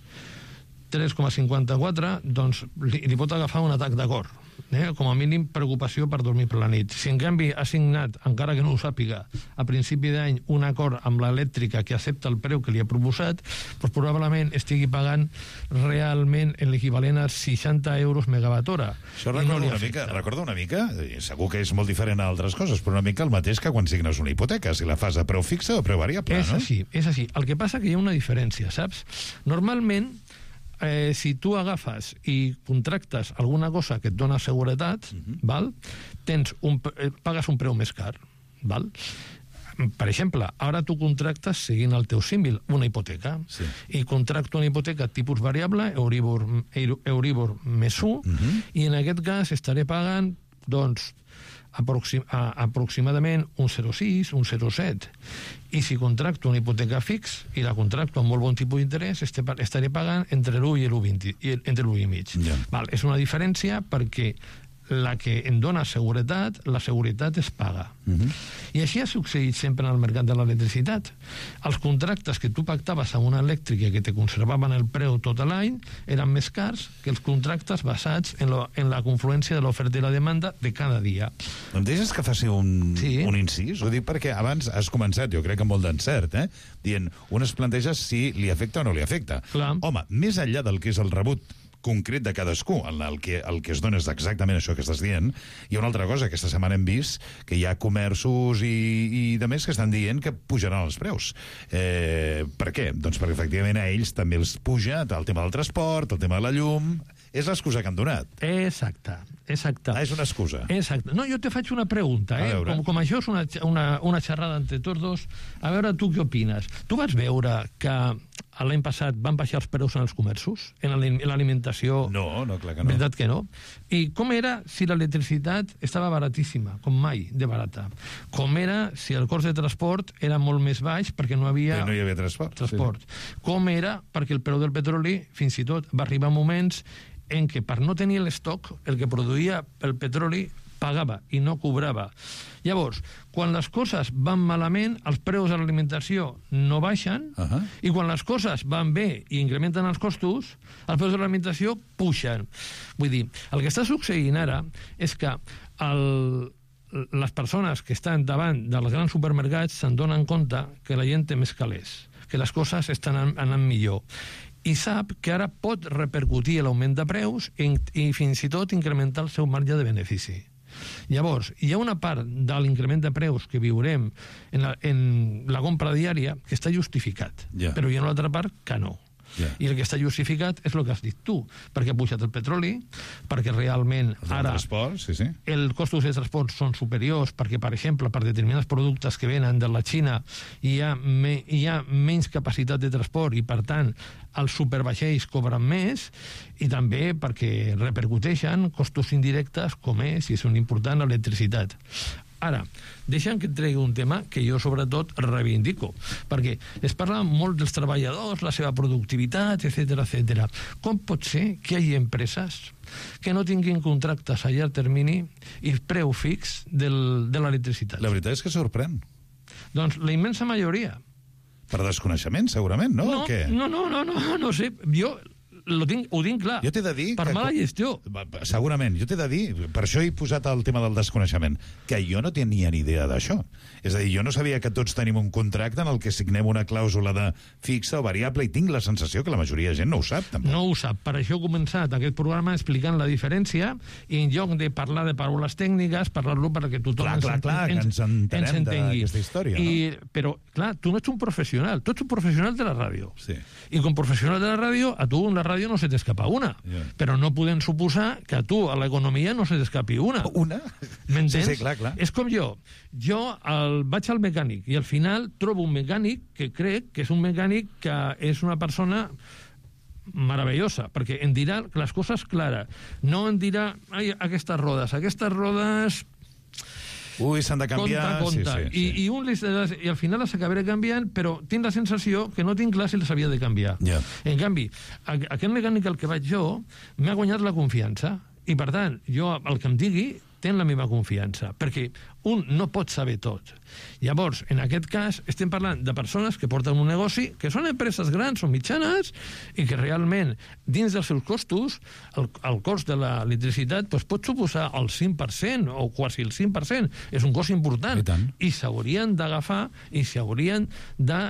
tres coma cinquanta-quatre, doncs li, li pot agafar un atac de cor. Eh? Com a mínim preocupació per dormir per la nit. Si en canvi ha signat, encara que no ho sàpiga, a principi d'any un acord amb l'elèctrica que accepta el preu que li ha proposat, doncs probablement estigui pagant realment en l'equivalent a seixanta euros megawatt hora. Això recorda, no una mica, recorda una mica, segur que és molt diferent a altres coses, però una mica el mateix que quan signes una hipoteca, si la fas a preu fixe o a preu variable, és no? És així, és així. El que passa que hi ha una diferència, saps? Normalment, Eh, si tu agafes i contractes alguna cosa que et dona seguretat, uh-huh. val? Tens un, eh, pagues un preu més car. Val? Per exemple, ara tu contractes, seguint el teu símil, una hipoteca. Sí. I contracto una hipoteca tipus variable, Euribor, Euribor més u, uh-huh. i en aquest cas estaré pagant Doncs aproxim, a, aproximadament un zero coma sis, un zero coma set. I si contracto una hipoteca fix i la contracto amb molt bon tipus d'interès, estaré pagant entre l'u i l'u coma vint, entre l'u i mig. Yeah. Val, és una diferència perquè la que em dona seguretat, la seguretat es paga. Uh-huh. I així ha succeït sempre en el mercat de l'electricitat. Els contractes que tu pactaves amb una elèctrica que te conservaven el preu tot l'any eren més cars que els contractes basats en, lo, en la confluència de l'oferta i la demanda de cada dia. Em deixes que faci un, sí. un incís? Ho dic perquè abans has començat, jo crec que amb molt d'encert, eh? dient, un es planteja si li afecta o no li afecta. Clar. Home, més enllà del que és el rebut concret de cadascú, en el que, el que es dona és exactament això que estàs dient. Hi ha una altra cosa, aquesta setmana hem vist que hi ha comerços i, i de més que estan dient que pujaran els preus. Eh, per què? Doncs perquè efectivament a ells també els puja el tema del transport, el tema de la llum. És l'excusa que han donat. Exacte, exacte. Ah, és una excusa. Exacte. No, jo te faig una pregunta, eh? Com, com això és una, una, una xerrada entre tots dos, a veure tu què opines. Tu vas veure que l'any passat van baixar els preus en els comerços, en l'alimentació? No, no, clar que no. Veritat que no. I com era si l'electricitat estava baratíssima, com mai de barata? Com era si el cost de transport era molt més baix perquè no havia... Perquè no hi havia transport. transport. Sí. Com era perquè el preu del petroli, fins i tot, va arribar a moments en què per no tenir l'estoc, el que produïa el petroli pagava i no cobrava. Llavors, quan les coses van malament, els preus de l'alimentació no baixen, uh-huh. i quan les coses van bé i incrementen els costos, els preus de l'alimentació pugen. Vull dir, el que està succeint ara és que el, les persones que estan davant dels grans supermercats se'n donen compte que la gent té més calés, que les coses estan anant millor. I sap que ara pot repercutir l'augment de preus i, i fins i tot incrementar el seu marge de benefici. Llavors, hi ha una part de l'increment de preus que viurem en la, en la compra diària que està justificat, yeah. però hi ha una altra part que no. Yeah. I el que està justificat és el que has dit tu, perquè ha pujat el petroli, perquè realment el ara transport, sí, sí. els costos de transport són superiors, perquè, per exemple, per determinats productes que venen de la Xina hi ha, me, hi ha menys capacitat de transport i, per tant, els supervaixells cobren més, i també perquè repercuteixen costos indirectes com és, i són important, l'electricitat. Ara, deixa'm que et tregui un tema que jo sobretot reivindico, perquè es parla molt dels treballadors, la seva productivitat, etcètera, etcètera. Com pot ser que hi hagi empreses que no tinguin contractes a llarg termini i preu fix del, de l'electricitat? La veritat és que sorprèn. Doncs la immensa majoria. Per desconeixement, segurament, no? No, Què? no, no, no, no, no sé. Jo Lo tinc, ho tinc clar. Jo t'he de dir... Per que... mala gestió. Segurament. Jo t'he de dir, per això he posat el tema del desconeixement, que jo no tenia ni idea d'això. És a dir, jo no sabia que tots tenim un contracte en el que signem una clàusula de fixa o variable, i tinc la sensació que la majoria de gent no ho sap, tampoc. No ho sap. Per això he començat aquest programa explicant la diferència, i en lloc de parlar de paraules tècniques, parlar-lo perquè tothom clar, clar, clar, ens, que ens entenem ens d'aquesta història. I, no? Però, clar, tu no ets un professional. Tu ets un professional de la ràdio. Sí. I com professional de la ràdio, a tu en la ràdio no se t'escapa una. Yeah. Però no podem suposar que a tu, a l'economia, no se t'escapi una. Una? M'entens? Sí, sí, clar, clar. És com jo. Jo el, vaig al mecànic i al final trobo un mecànic que crec que és un mecànic que és una persona meravellosa, perquè em dirà les coses clares. No em dirà, ai, aquestes rodes, aquestes rodes... Ui, s'han de canviar... Compte, compte. Sí, sí, sí. I, i, un les, I al final les acabaré canviant, però tinc la sensació que no tinc clar si les havia de canviar. Yeah. En canvi, aquest mecànic al que vaig jo m'ha guanyat la confiança, i per tant, jo el que em digui ten la meva confiança, perquè un no pot saber tot. Llavors, en aquest cas, estem parlant de persones que porten un negoci, que són empreses grans o mitjanes, i que realment, dins dels seus costos, el, el cost de l'electricitat doncs, pot suposar el cinc per cent o quasi el cinc per cent. És un cost important. I, i s'haurien d'agafar i s'haurien de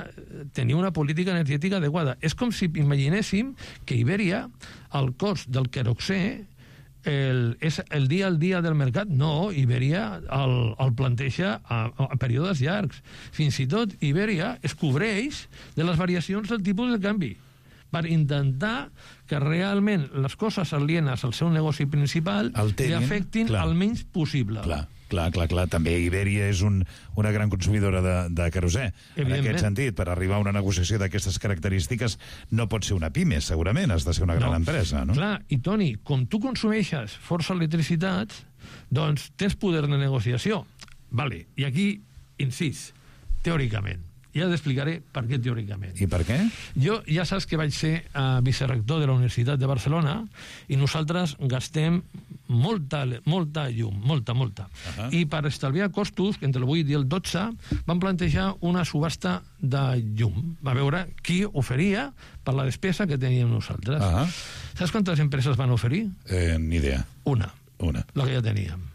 tenir una política energètica adequada. És com si imaginéssim que Iberia, el cost del queroxè, El, és el dia al dia del mercat? No, Iberia el, el planteja a, a períodes llargs. Fins i tot Iberia es cobreix de les variacions del tipus de canvi per intentar que realment les coses alienes al seu negoci principal li afectin clar. el menys possible. Clar. Clar, clar, clar. També Iberia és un, una gran consumidora de, de querosè. En aquest sentit, per arribar a una negociació d'aquestes característiques no pot ser una pime, segurament, has de ser una gran no. empresa, no? Clar, i Toni, com tu consumeixes força electricitat, Doncs tens poder de negociació. Vale. I aquí, incís, teòricament. Ja t'explicaré per què teòricament. I per què? Jo ja saps que vaig ser uh, vicerector de la Universitat de Barcelona i nosaltres gastem molta, molta llum, molta, molta. Uh-huh. I per estalviar costos, entre el vuit i el dotze, vam plantejar una subhasta de llum. Va veure qui oferia per la despesa que teníem nosaltres. Uh-huh. Saps quantes empreses van oferir? Eh, ni idea. Una. Una. La que ja teníem.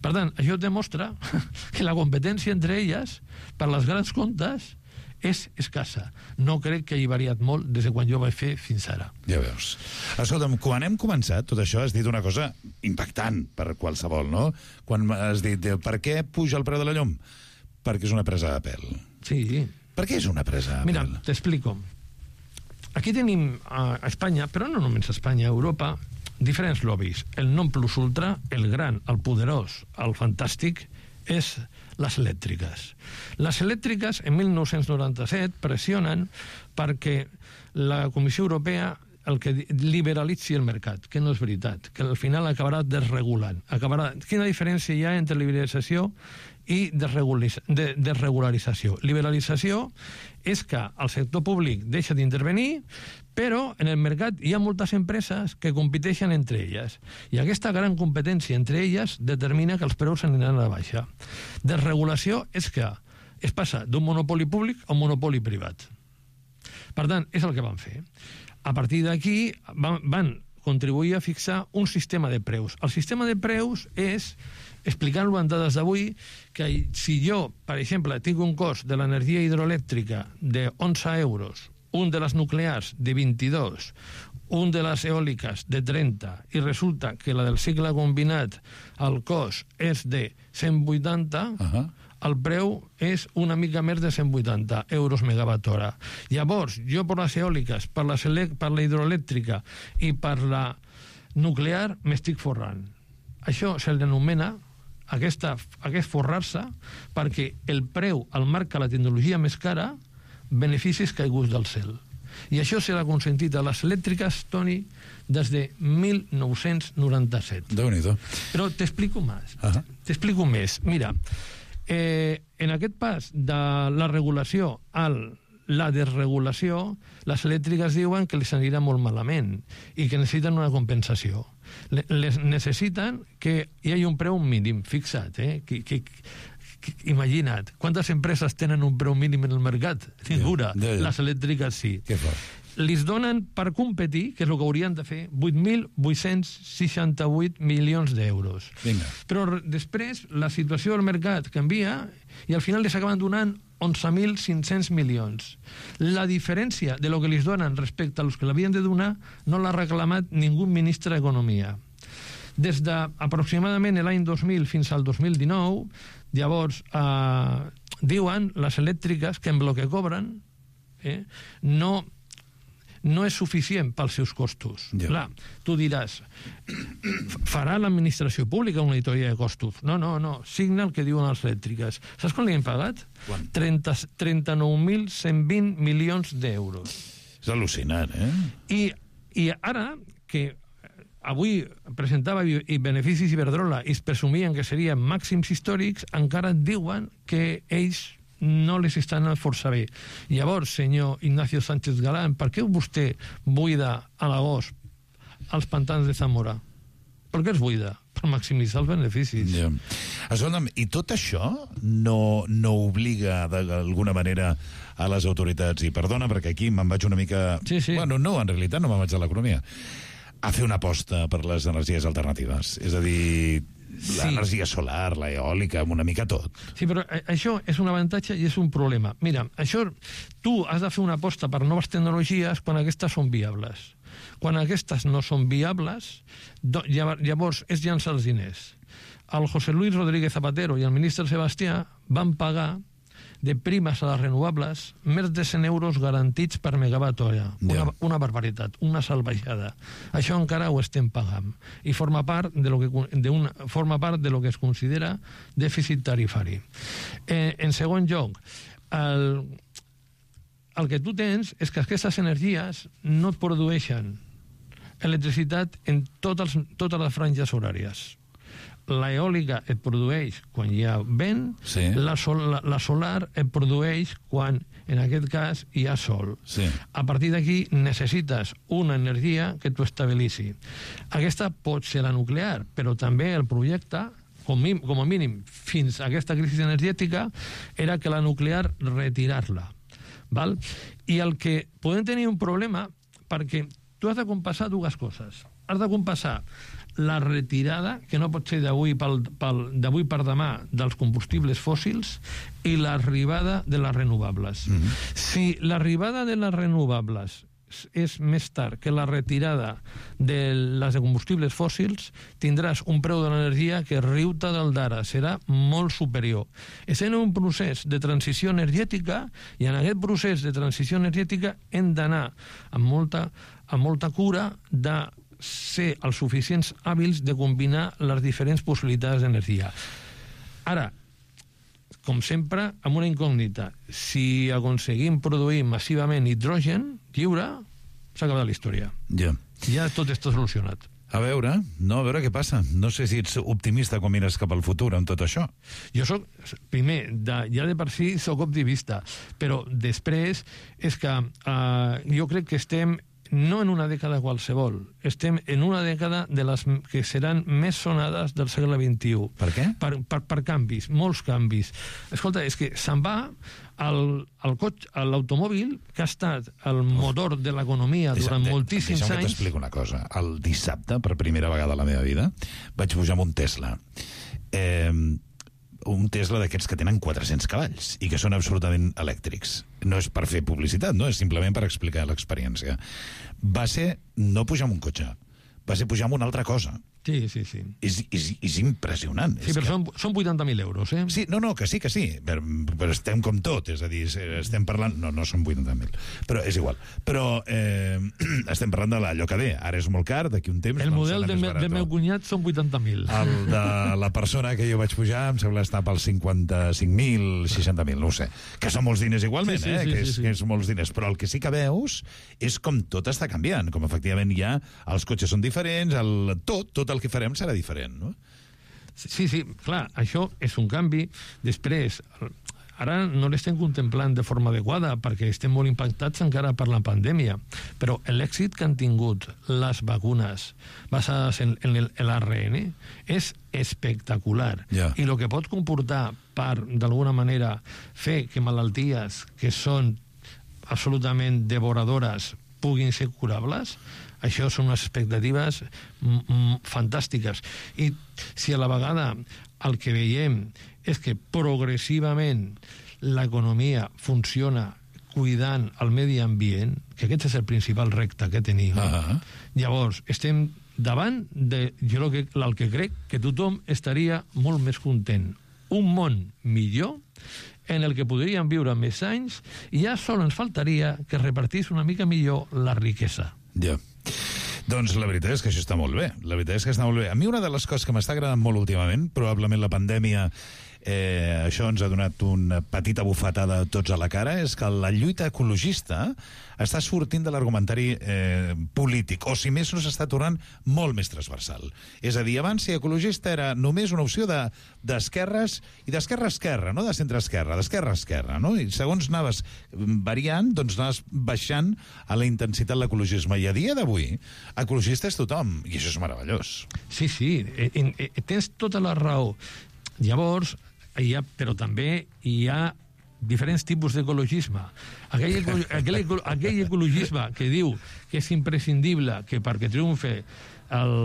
Per tant, això demostra que la competència entre elles, per les grans comptes, és escassa. No crec que hagi variat molt des de quan jo vaig fer fins ara. Ja veus. Escolta'm, quan hem començat tot això has dit una cosa impactant per qualsevol, no? Quan has dit, per què puja el preu de la llum? Perquè és una presa de pèl. Sí. Per què és una presa de Mira, pèl? t'explico. Aquí tenim a Espanya, però no només a Espanya, a Europa, diferents lobbies. El non plus ultra, el gran, el poderós, el fantàstic, és les elèctriques. Les elèctriques, en mil nou-cents noranta-set, pressionen perquè la Comissió Europea el que liberalitzi el mercat, que no és veritat, que al final acabarà desregulant. Acabarà... Quina diferència hi ha entre liberalització i desregularització? Liberalització és que el sector públic deixa d'intervenir, però en el mercat hi ha moltes empreses que competeixen entre elles. I aquesta gran competència entre elles determina que els preus aniran a la baixa. Desregulació és que es passa d'un monopoli públic a un monopoli privat. Per tant, és el que van fer. A partir d'aquí van, van contribuir a fixar un sistema de preus. El sistema de preus és, explicant-lo en dades d'avui, que si jo, per exemple, tinc un cost de l'energia hidroelèctrica de onze euros, un de les nuclears de vint-i-dos, un de les eòliques de trenta, i resulta que la del cicle combinat, el cost és de cent vuitanta, uh-huh. el preu és una mica més de cent vuitanta euros megawatt hora. Llavors, jo per les eòliques, per, les per la hidroelèctrica i per la nuclear m'estic forrant. Això se l'anomena aquesta, aquest forrar-se perquè el preu el marca la tecnologia més cara, beneficis caiguts del cel. I això serà consentit a les elèctriques, Toni, des de mil nou-cents noranta-set. Déu-n'hi-do. Però t'explico més. Uh-huh. T'explico més. Mira, eh, en aquest pas de la regulació a la desregulació, les elèctriques diuen que les anirà molt malament i que necessiten una compensació. Les necessiten que hi hagi un preu mínim fixat, eh? Que, que, que, imagina't, quantes empreses tenen un preu mínim en el mercat? Ninguna. Yeah, yeah. Les elèctriques sí. Què fort. Lis donen per competir, que és el que haurien de fer, vuit mil vuit-cents seixanta-vuit milions d'euros. Vinga. Però després la situació del mercat canvia i al final les acaben donant onze mil cinc-cents milions. La diferència de lo que lis donen respecte a los que l'havien de donar no l'ha reclamat ningú ministre d'Economia. Des d'aproximadament l'any dos mil fins al dos mil dinou, llavors eh, diuen les elèctriques que en el que cobren eh, no... no és suficient pels seus costos. Ja. Clar, tu diràs, farà l'administració pública una auditoria de costos? No, no, no, signa el que diuen les elèctriques. Saps quan li hem pagat? Quan? trenta-nou mil cent vint milions d'euros. És al·lucinant, eh? I, I ara, que avui presentava i Beneficis Iberdrola i es presumien que serien màxims històrics, encara et diuen que ells no les estan força bé. Llavors, senyor Ignacio Sánchez Galán, per què vostè buida a l'agost els pantans de Zamora? Per què els buida? Per maximitzar els beneficis. Ja. Escolta'm, i tot això no, no obliga d'alguna manera a les autoritats, i perdona perquè aquí me'n vaig una mica... Sí, sí. Bueno, no, en realitat no me'n vaig a l'economia. A fer una aposta per les energies alternatives. És a dir... l'energia sí. solar, la eòlica, una mica tot. Sí, però això és un avantatge i és un problema. Mira, això, tu has de fer una aposta per noves tecnologies quan aquestes són viables. Quan aquestes no són viables, llavors és llançar els diners. El José Luis Rodríguez Zapatero i el ministre Sebastià van pagar de primes a les renovables més de cent euros garantits per megawatt hora. Una, una barbaritat, una salvajada. Això encara ho estem pagant. I forma part de lo que, de una, forma part de lo que es considera dèficit tarifari. Eh, en segon lloc, el, el que tu tens és que aquestes energies no et produeixen electricitat en totes, totes les franges horàries. la eòlica et produeix quan hi ha vent, sí. la, sol, la, la solar et produeix quan, en aquest cas, hi ha sol. Sí. A partir d'aquí necessites una energia que t'ho estabilitzi. Aquesta pot ser la nuclear, però també el projecte, com, com a mínim fins a aquesta crisi energètica, era que la nuclear retirar-la. Val? I el que podem tenir un problema, perquè tu has de compassar dues coses. Has de compassar la retirada, que no pot ser d'avui d'avui per demà, dels combustibles fòssils, i l'arribada de les renovables. Mm-hmm. Si l'arribada de les renovables és més tard que la retirada de les de combustibles fòssils, tindràs un preu de l'energia que riu-te del d'ara, serà molt superior. Estem en un procés de transició energètica, i en aquest procés de transició energètica hem d'anar amb molta, amb molta cura de ser els suficients hàbils de combinar les diferents possibilitats d'energia. Ara, com sempre, amb una incògnita. Si aconseguim produir massivament hidrogen lliure, s'ha acabat la història. Ja. Ja tot està solucionat. A veure, no, a veure què passa. No sé si ets optimista quan mires cap al futur amb tot això. Jo soc, primer, de, ja de per si soc optimista, però després és que uh, jo crec que estem no en una dècada qualsevol, estem en una dècada de les que seran més sonades del segle vint-i-u. Per què? Per, per, per canvis, molts canvis. Escolta, és que se'n va el, el cotxe, l'automòbil, que ha estat el motor de l'economia durant moltíssims anys. Deixa'm que anys. t'explico una cosa. El dissabte, per primera vegada a la meva vida, vaig pujar amb un Tesla. Eh, un Tesla d'aquests que tenen quatre-cents cavalls i que són absolutament elèctrics. No és per fer publicitat, no? És simplement per explicar l'experiència. Va ser no pujar amb un cotxe, va ser pujar amb una altra cosa. Sí, sí, sí. És, és, és impressionant. Sí, és però que... són, són vuitanta mil euros, eh? Sí, no, no, que sí, que sí, però, però estem com tot, és a dir, estem parlant... No, no són vuitanta mil, però és igual. Però eh, estem parlant de l'allò que ve. Ara és molt car, d'aquí un temps... El model del de meu cunyat són vuitanta mil. El de la persona que jo vaig pujar em sembla estar pels cinquanta-cinc mil, seixanta mil, no ho sé. Que són molts diners igualment, sí, sí, eh? Sí, que, és, sí, sí. que és molts diners. Però el que sí que veus és com tot està canviant, com efectivament ja els cotxes són diferents, el, tot, tot el que farem serà diferent. No? Sí, sí, clar, això és un canvi. Després, ara no l'estem contemplant de forma adequada perquè estem molt impactats encara per la pandèmia, però l'èxit que han tingut les vacunes basades en, en l'A R N és espectacular. Yeah. I el que pot comportar per, d'alguna manera, fer que malalties que són absolutament devoradores puguin ser curables, això són unes expectatives m -m fantàstiques. I si a la vegada el que veiem és que progressivament l'economia funciona cuidant el medi ambient, que aquest és el principal repte que tenim, uh-huh. llavors estem davant de, jo el que, el que crec que tothom estaria molt més content. Un món millor en el que podríem viure més anys i ja sol ens faltaria que repartís una mica millor la riquesa. Ja. Doncs la veritat és que això està molt bé. La veritat és que està molt bé. A mi una de les coses que m'està agradant molt últimament, probablement la pandèmia eh, això ens ha donat una petita bufetada a tots a la cara, és que la lluita ecologista està sortint de l'argumentari eh, polític, o si més no s'està tornant molt més transversal. És a dir, abans ser ecologista era només una opció d'esquerres, de, i d'esquerra a esquerra, no de centre a esquerra, d'esquerra a esquerra, no? I segons anaves variant, doncs anaves baixant a la intensitat l'ecologisme. I a dia d'avui, ecologista és tothom, i això és meravellós. Sí, sí, en, en, tens tota la raó. Llavors, hi ha, però també hi ha diferents tipus d'ecologisme. Aquell, aquell, aquell ecologisme que diu que és imprescindible que perquè triomfe el,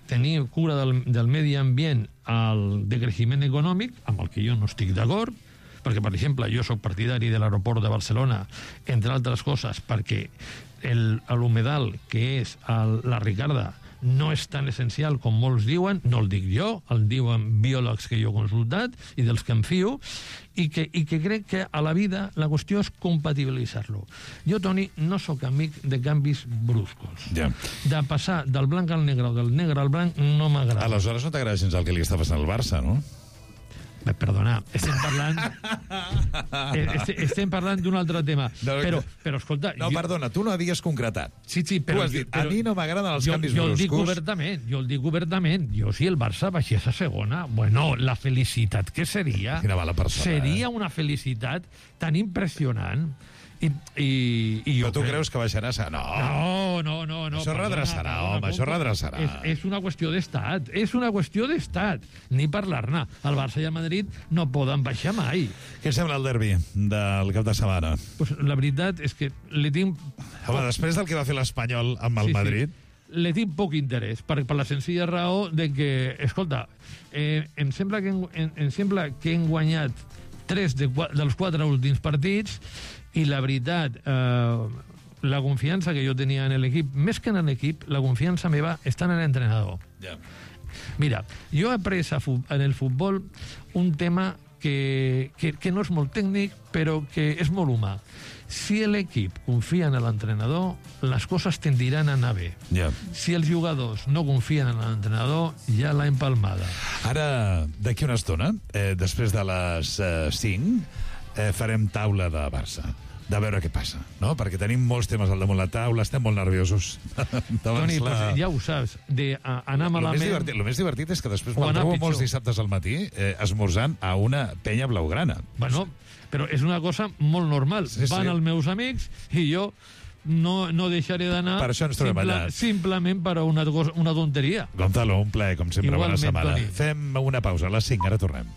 tenir cura del, del medi ambient al decreixement econòmic, amb el que jo no estic d'acord, perquè, per exemple, jo sóc partidari de l'aeroport de Barcelona, entre altres coses, perquè l'humedal, que és el, la Ricarda, no és tan essencial com molts diuen, no el dic jo, el diuen biòlegs que jo he consultat i dels que em fio, i que, i que crec que a la vida la qüestió és compatibilitzar-lo. Jo, Toni, no sóc amic de canvis bruscos. Ja. De passar del blanc al negre o del negre al blanc no m'agrada. Aleshores no t'agrada gens el que li està passant al Barça, no? Perdona, estem parlant estem, estem parlant d'un altre tema. No, però, però escolta... No, jo... perdona, tu no havies concretat. Sí, sí, però... Tu has dit, però, a mi no m'agraden els jo, canvis jo el dic bruscos. obertament, jo el dic obertament. Jo, si el Barça baixés a segona, bueno, la felicitat que seria... Quina mala persona, seria eh? una felicitat tan impressionant. I, i, i Però jo tu crec... creus que baixarà? No, no, no, no, no això redreçarà, home, això redreçarà. És, és una qüestió d'estat, és una qüestió d'estat. Ni parlar-ne. El Barça i el Madrid no poden baixar mai. Què sembla el derbi del cap de setmana? Pues la veritat és que li tinc... Home, després del que va fer l'Espanyol amb el Sí, sí. Madrid... li tinc poc interès, per, per la senzilla raó de que, escolta, eh, em, sembla que hem, em, em sembla que hem guanyat tres de, dels quatre últims partits i la veritat, eh, la confiança que jo tenia en l'equip, més que en l'equip, la confiança meva està en l'entrenador. Ja. Mira, jo he après a fu- en el futbol un tema que, que, que no és molt tècnic, però que és molt humà. Si l'equip confia en l'entrenador, les coses tendiran a anar bé. Ja. Si els jugadors no confien en l'entrenador, ja l'ha empalmada. Ara, d'aquí una estona, eh, després de les eh, cinc, eh, farem taula de Barça, de veure què passa, no? Perquè tenim molts temes al damunt la taula, estem molt nerviosos. Toni, la... pues ja ho saps, de a, anar El malament... més, divertit, el més divertit és que després O me'l anar trobo pitjor. molts dissabtes al matí eh, esmorzant a una penya blaugrana. Bueno, però és una cosa molt normal. Sí, sí. Van els meus amics i jo no, no deixaré d'anar Per això ens trobem allà. simplement per a una, cosa, una tonteria. Gonzalo, un plaer, com sempre, Igualment, bona setmana. Toni. Fem una pausa, a les cinc, ara tornem.